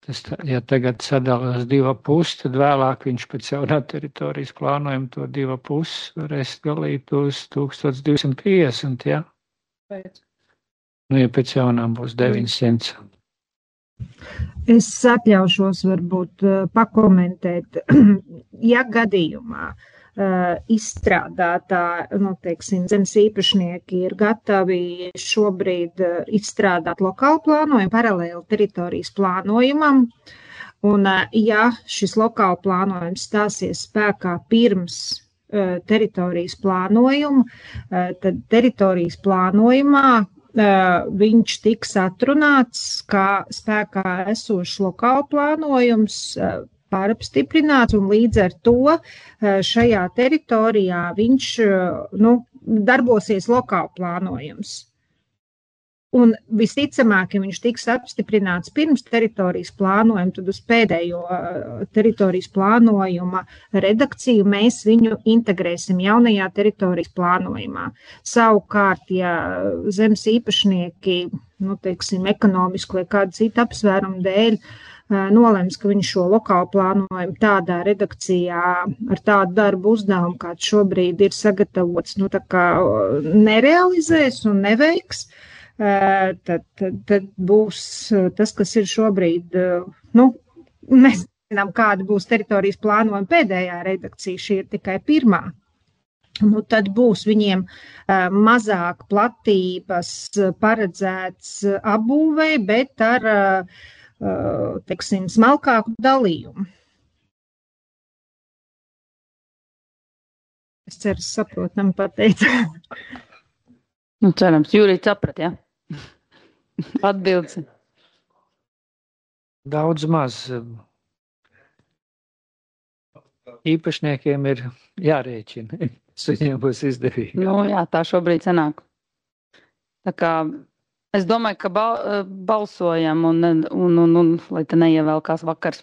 Tas, ja tagad sadalās 2,5, tad vēlāk viņš pēc jaunā teritorijas plānojuma to 2,5 varēs dalīt uz 1250, ja? Pēc. Ja pēc jaunām būs 900. Es atļaušos varbūt pakomentēt, ja gadījumā izstrādātā, zemes īpašnieki ir gatavi šobrīd izstrādāt lokālu plānojumu paralēli teritorijas plānojumam, un ja šis lokālu plānojums stāsies spēkā pirms teritorijas plānojuma, tad teritorijas plānojumā viņš tiks atrunāts kā spēkā esošs lokālu plānojums, pārapstiprināts, un līdz ar to šajā teritorijā viņš darbosies lokāli plānojums. Un visticamāk, ja viņš tiks apstiprināts pirms teritorijas plānojuma, tad uz pēdējo teritorijas plānojuma redakciju mēs viņu integrēsim jaunajā teritorijas plānojumā. Savukārt, ja zemes īpašnieki, ekonomiski vai kādu citu apsvērumu dēļ, nolems, ka viņš šo lokālu plānojumu tādā redakcijā ar tādu darbu uzdevumu, kāds šobrīd ir sagatavots, nerealizēs un neveiks, tad būs tas, kas ir šobrīd, mēs zinām, kāda būs teritorijas plānojuma pēdējā redakcija, šī ir tikai pirmā. Tad būs viņiem mazāk platības paredzēts apbūvei, bet ar smalkāku dalījumu. Es ceru, saprotam pateicu. Cerams, Jūrīt saprat, ja? Atbildes. Daudz maz. Īpašniekiem ir jārēķina. Viņiem būs izdevīgi. Jā, tā šobrīd sanāk. Tā kā es domāju, ka balsojam un lai te neievēlkās vakars.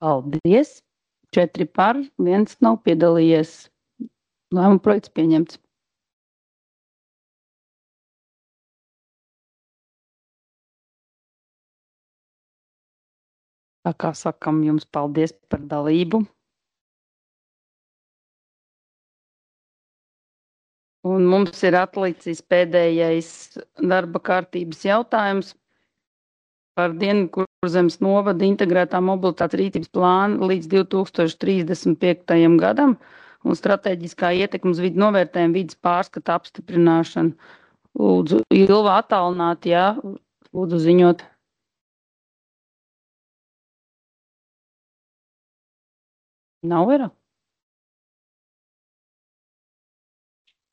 Paldies! 4 par, 1 nav piedalījies. Lēmuma projekts pieņemts. Tā kā sakam jums paldies par dalību. Un mums ir atlicis pēdējais darba kārtības jautājums par Dienvidkurzemes novada integrētā mobilitātes rīcības plānu līdz 2035. gadam un strateģiskā ietekmes vidu novērtējuma vidas pārskata apstiprināšanu. Lūdzu, Ilva attālināt, jā, lūdzu ziņot. Nav era?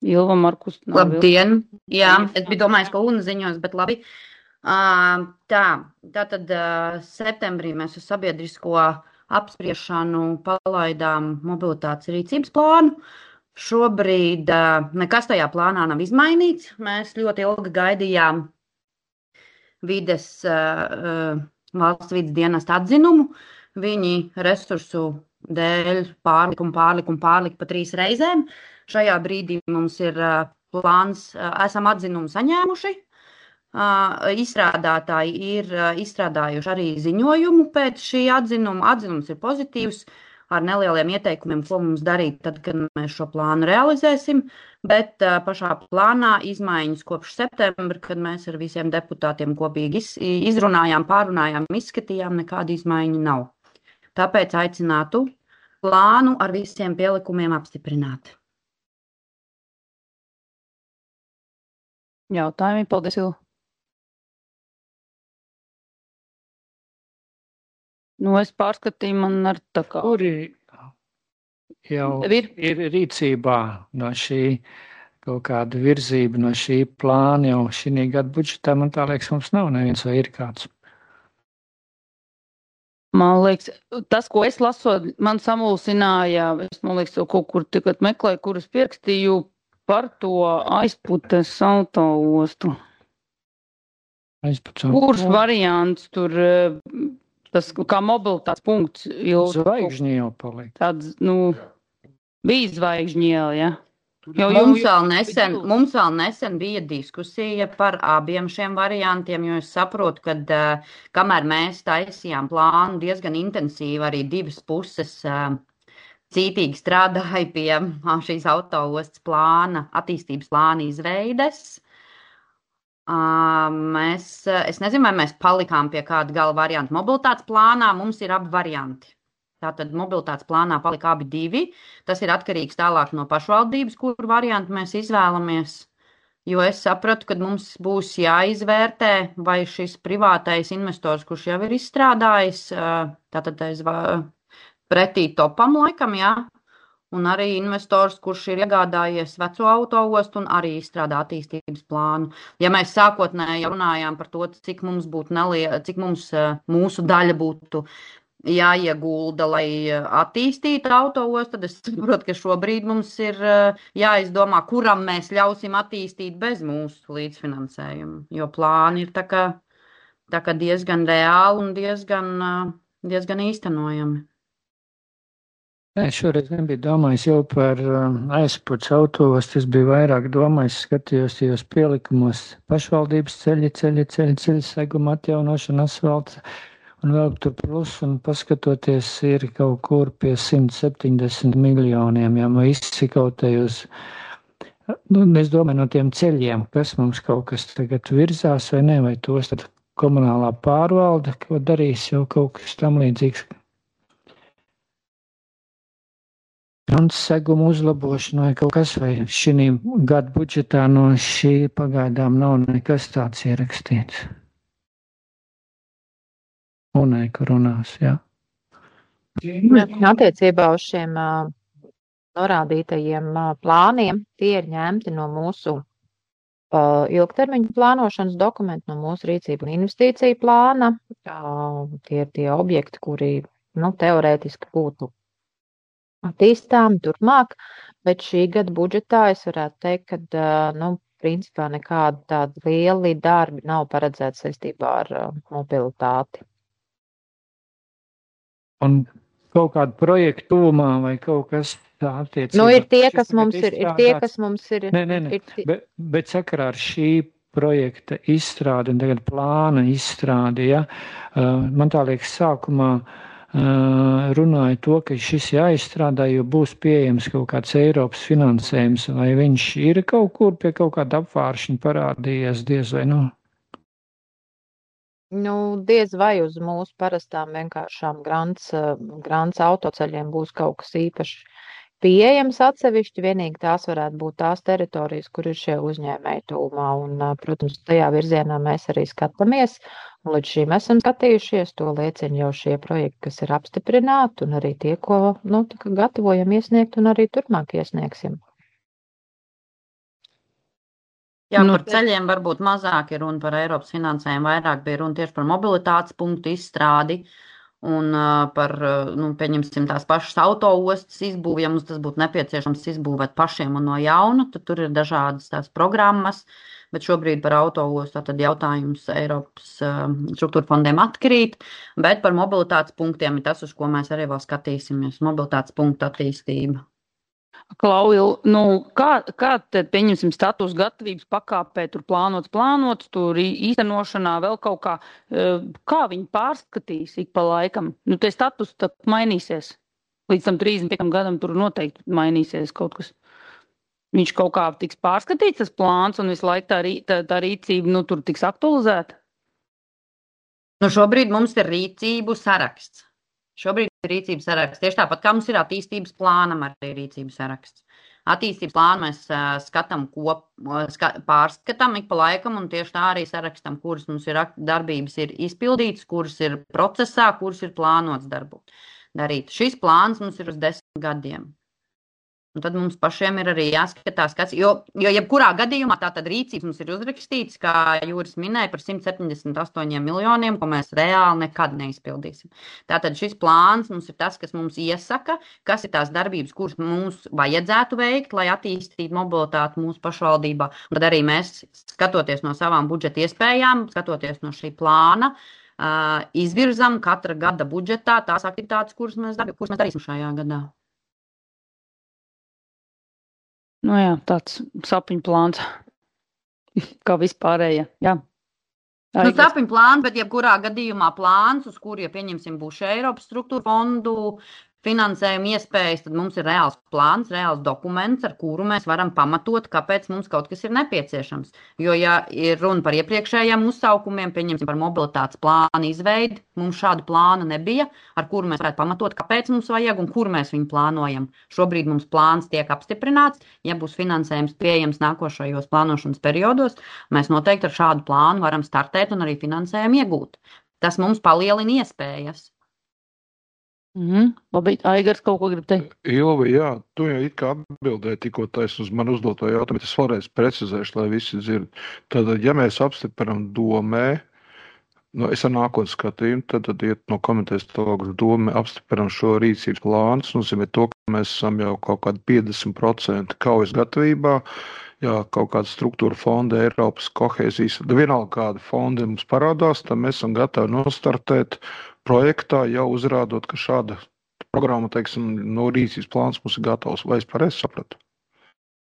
Ilva Markus. Labdien! Jā, es biju domājis, ka Una ziņos, bet labi. Tātad septembrī mēs uz sabiedrisko apspriešanu palaidām mobilitātes rīcības plānu. Šobrīd nekas tajā plānā nav izmainīts. Mēs ļoti ilgi gaidījām valsts vides dienesta atzinumu. Viņi resursu dēļ pārlika pa 3 reizēm. Šajā brīdī mums ir plāns, esam atzinumu saņēmuši. Izstrādātāji ir izstrādājuši arī ziņojumu pēc šī atzinuma. Atzinums ir pozitīvs ar nelieliem ieteikumiem, ko mums darīt tad, kad mēs šo plānu realizēsim. Bet pašā plānā izmaiņas kopš septembra, kad mēs ar visiem deputātiem kopīgi izrunājām, pārunājām, izskatījām, nekāda izmaiņa nav. Tāpēc aicinātu plānu ar visiem pielikumiem apstiprināt. Jautājumi, paldies, Ilva. Es pārskatīju, man ar tā kā. Kuri jau ir rīcībā no šī kaut kāda virzība, no šī plāna jau šī gada budžetā, man tā liekas, mums nav neviens vai ir kāds. Man liekas, tas, ko es lasot, man samulsināja, man liekas, kaut kur tikpat meklēju, kurus pierakstīju par to aizputes autoostu. Kurš variants tur, tas kā mobilitātes punkts? Zvaigžņi jau paliek. Tāds, bija zvaigžņiela, ja? Mums vēl nesen bija diskusija par abiem šiem variantiem, jo es saprotu, ka kamēr mēs taisījām plānu diezgan intensīvi, arī 2 puses cītīgi strādāja pie šīs autoostas plāna, attīstības plāna izveides. Es nezinu, vai mēs palikām pie kāda gala varianta. Mobilitātes plānā mums ir abi varianti. Tātad mobilitātes plānā palika abi 2. Tas ir atkarīgs tālāk no pašvaldības, kuru variantu mēs izvēlamies. Jo es sapratu, ka mums būs jāizvērtē, vai šis privātais investors, kurš jau ir izstrādājis, tātad pretī topam laikam, jā, un arī investors, kurš ir iegādājies veco autoostu un arī izstrādā attīstības plānu. Ja mēs sākotnēji runājām par to, cik mums mūsu daļa būtu jāiegulda, lai attīstītu autoostu, tad es saprotu, ka šobrīd mums ir jāizdomā, kuram mēs ļausim attīstīt bez mūsu līdzfinansējuma, jo plāni ir tā kā diezgan reāli un diezgan īstenojami. Es šoreiz nebiju domājis jau par aizpūtas autoostu, es biju vairāk domājis, skatījos tajos pielikumos pašvaldības ceļi, seguma atjaunošana, asfalts un vēl tur plus, un paskatoties ir kaut kur pie 170 miljoniem, ja mēs izsikautējos, es domāju no tiem ceļiem, kas mums kaut kas tagad virzās vai ne, vai tos tad komunālā pārvalde, ko darīs jau kaut kas tam līdzīgs. Seguma uzlabošana vai kaut kas, vai šī gada budžetā no šī pagaidām nav nekas tāds ierakstīts. Unai, kur runās, jā. Attiecībā uz šiem norādītajiem plāniem, tie ir ņemti no mūsu ilgtermiņa plānošanas dokumentu, no mūsu rīcību un investīciju plāna. Tie ir tie objekti, kuri teorētiski būtu attīstāmi turpmāk, bet šī gada budžetā es varētu teikt, ka principā nekādi tādi lieli darbi nav paredzēti saistībā ar mobilitāti. Un kaut kādu projektu tuvumā vai kaut kas tā attiecībā. Nu, ir tie, kas mums ir. Nē. Bet sakarā ar šī projekta izstrādi un tagad plāna izstrādi, ja, man tā liekas sākumā runāja to, ka šis jāizstrādā, jo būs pieejams kaut kāds Eiropas finansējums, vai viņš ir kaut kur pie kaut kāda apvāršņa parādījies, diez vai nu? Nu, diez vai uz mūsu parastām vienkāršām grants autoceļiem būs kaut kas īpaši pieejams atsevišķi, vienīgi tās varētu būt tās teritorijas, kur ir šie uzņēmēji tūmā, un, protams, tajā virzienā mēs arī skatāmies, un līdz šīm esam skatījušies, to liecina jau šie projekti, kas ir apstiprināti, un arī tie, ko, gatavojam iesniegt, un arī turpmāk iesniegsim. Jā, par ceļiem varbūt mazāk ir runa par Eiropas finansējumu, vairāk bija runa tieši par mobilitātes punktu izstrādi, un par, pieņemsim tās pašas autoostas izbūvi, ja mums tas būtu nepieciešams izbūvēt pašiem un no jauna, tad tur ir dažādas tās programmas, bet šobrīd par autoostu tad jautājums Eiropas struktūra fondiem atkrīt, bet par mobilitātes punktiem ir tas, uz ko mēs arī vēl skatīsimies, mobilitātes punktu attīstība. Klauil, kā tad pieņemsim status gatavības pakāpē, tur plānots, tur īstenošanā vēl kaut kā viņi pārskatīs ik pa laikam? Te status tad mainīsies. Līdz tam 35 gadam tur noteikti mainīsies kaut kas. Viņš kaut kā tiks pārskatīts, tas plāns, un visu laiku tā rīcība, tur tiks aktualizēta? Šobrīd mums ir rīcību saraksts. Rīcības saraksts. Tieši tāpat, kā mums ir attīstības plānam arī rīcības saraksts. Attīstības plānu mēs pārskatām ik pa laikam, un tieši tā arī sarakstam, kuras mums ir darbības ir izpildītas, kuras ir procesā, kuras ir plānots darīt. Šis plāns mums ir uz 10 gadiem. Un tad mums pašiem ir arī jāskatās, jo jebkurā gadījumā tātad rīcības mums ir uzrakstīts, kā Jūris minēja, par 178 miljoniem, ko mēs reāli nekad neizpildīsim. Tātad šis plāns mums ir tas, kas mums iesaka, kas ir tās darbības, kuras mums vajadzētu veikt, lai attīstītu mobilitāti mūsu pašvaldībā. Un tad arī mēs, skatoties no savām budžeta iespējām, skatoties no šī plāna, izvirzam katra gada budžetā tās aktivitātes, kuras mēs darīsim šajā gadā. Jā, tāds sapņu plāns, kā vispārējie, jā. Sapņu plāns, bet jebkurā gadījumā plāns, uz kuru, ja pieņemsim, būs Eiropas struktūra fondu finansējuma iespējas, tad mums ir reāls plāns, reāls dokuments, ar kuru mēs varam pamatot, kāpēc mums kaut kas ir nepieciešams. Jo, ja ir runa par iepriekšējiem uzsaukumiem, pieņemsim par mobilitātes plānu izveidi, mums šādu plānu nebija, ar kuru mēs varētu pamatot, kāpēc mums vajag un kur mēs viņu plānojam. Šobrīd mums plāns tiek apstiprināts, ja būs finansējums pieejams nākošajos plānošanas periodos, mēs noteikti ar šādu plānu varam startēt un arī finansējumu iegūt. Tas mums palielina iespējas. Labi, Aigars kaut ko grib teikt? Ilva, jā, tu jau it kā atbildēji tikko taisn uz man uzdoto jautājumu, bet es vēlreiz precizēšu, lai visi dzird. Tātad, ja mēs apstiprinām domē, es ar nākotnes skatījumu, tad iet no komitejas tālāk uz domē, apstiprinām šo rīcības plānu, tas nozīmē to, ka mēs esam jau kaut kādi 50% kaujas gatavībā, jā, kaut kāda struktūra fonda, Eiropas kohēzijas, vienalga kāda fonda mums parādās, tad mēs esam gatavi nostartēt projektā, jau uzrādot, ka šāda programma, teiksim, no rīcības plāns mums ir gatavs. Vai es pareizi sapratu?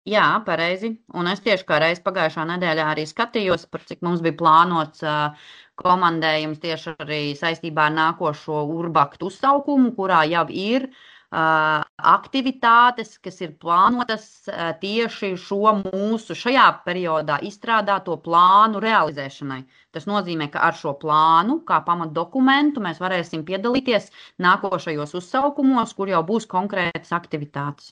Jā, pareizi. Un es tieši kā reiz pagājušā nedēļā arī skatījos, par cik mums bija plānots komandējums tieši arī saistībā ar nākošo urbaktu uzsaukumu, kurā jau ir aktivitātes, kas ir plānotas tieši šo mūsu šajā periodā izstrādāto plānu realizēšanai. Tas nozīmē, ka ar šo plānu, kā pamatdokumentu, mēs varēsim piedalīties nākošajos uzsaukumos, kur jau būs konkrētas aktivitātes.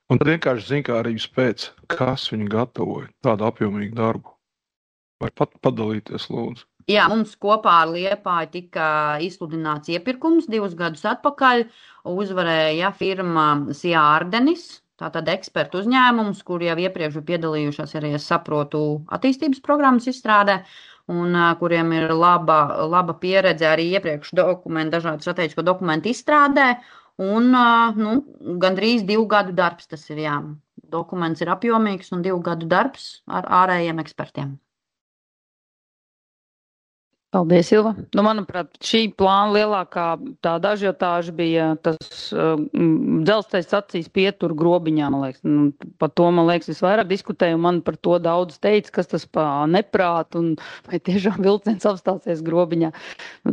Un tad vienkārši zinkārības pēc, kas viņi gatavoja tādu apjomīgu darbu. Vai padalīties, lūdzu? Jā, mums kopā ar Liepāju tika izsludināts iepirkums 2 gadus atpakaļ. Uzvarēja firma Sijā Ardenis, tātad ekspertu uzņēmums, kur jau iepriekš bija piedalījušās arī, es saprotu, attīstības programmas izstrādē, un kuriem ir laba pieredze arī iepriekš dažādu strateģisko dokumentu izstrādē. Un gandrīz 2 gadu darbs tas ir, jā. Dokuments ir apjomīgs un 2 gadu darbs ar ārējiem ekspertiem. Paldies, Ilva. Manuprāt, šī plāna lielākā tāda ažiotāža bija tas dzelzceļa stacijas pietur grobiņā, man liekas. Par to, man liekas, visvairāk diskutēju, un man par to daudz teica, kas tas pa neprāt, un vai tiešām vilciens apstāsies grobiņā.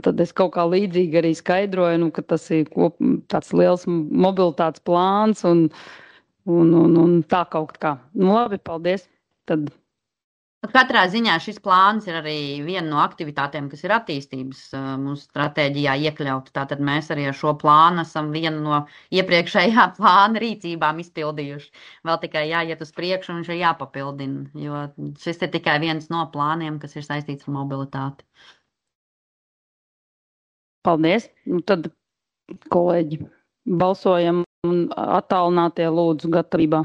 Tad es kaut kā līdzīgi arī skaidroju, ka tas ir tāds liels mobilitātes plāns, un tā kaut kā. Labi, paldies. Tad. Katrā ziņā šis plāns ir arī viena no aktivitātēm, kas ir attīstības mūsu stratēģijā iekļauta. Tātad mēs arī ar šo plānu esam vienu no iepriekšējā plāna rīcībām izpildījuši. Vēl tikai jāiet uz priekšu un viņš ir jāpapildina, jo šis ir tikai viens no plāniem, kas ir saistīts ar mobilitāti. Paldies. Tad, kolēģi, balsojam un attālinātie lūdzu gatavībā.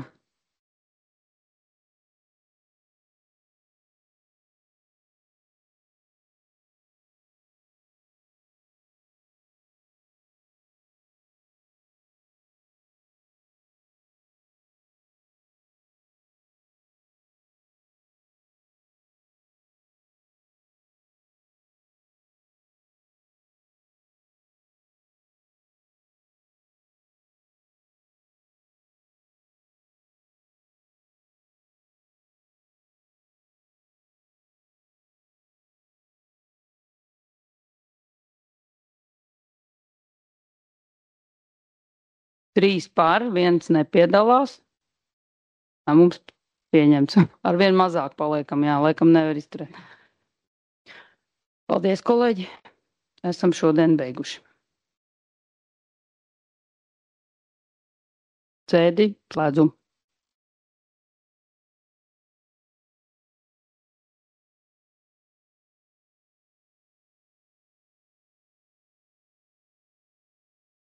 Trīs par, viens nepiedalās. Mums pieņemts. Ar vienu mazāk paliekam, jā, laikam nevar izturēt. Paldies, kolēģi. Esam šodien beiguši. Sēdi, slēdzu.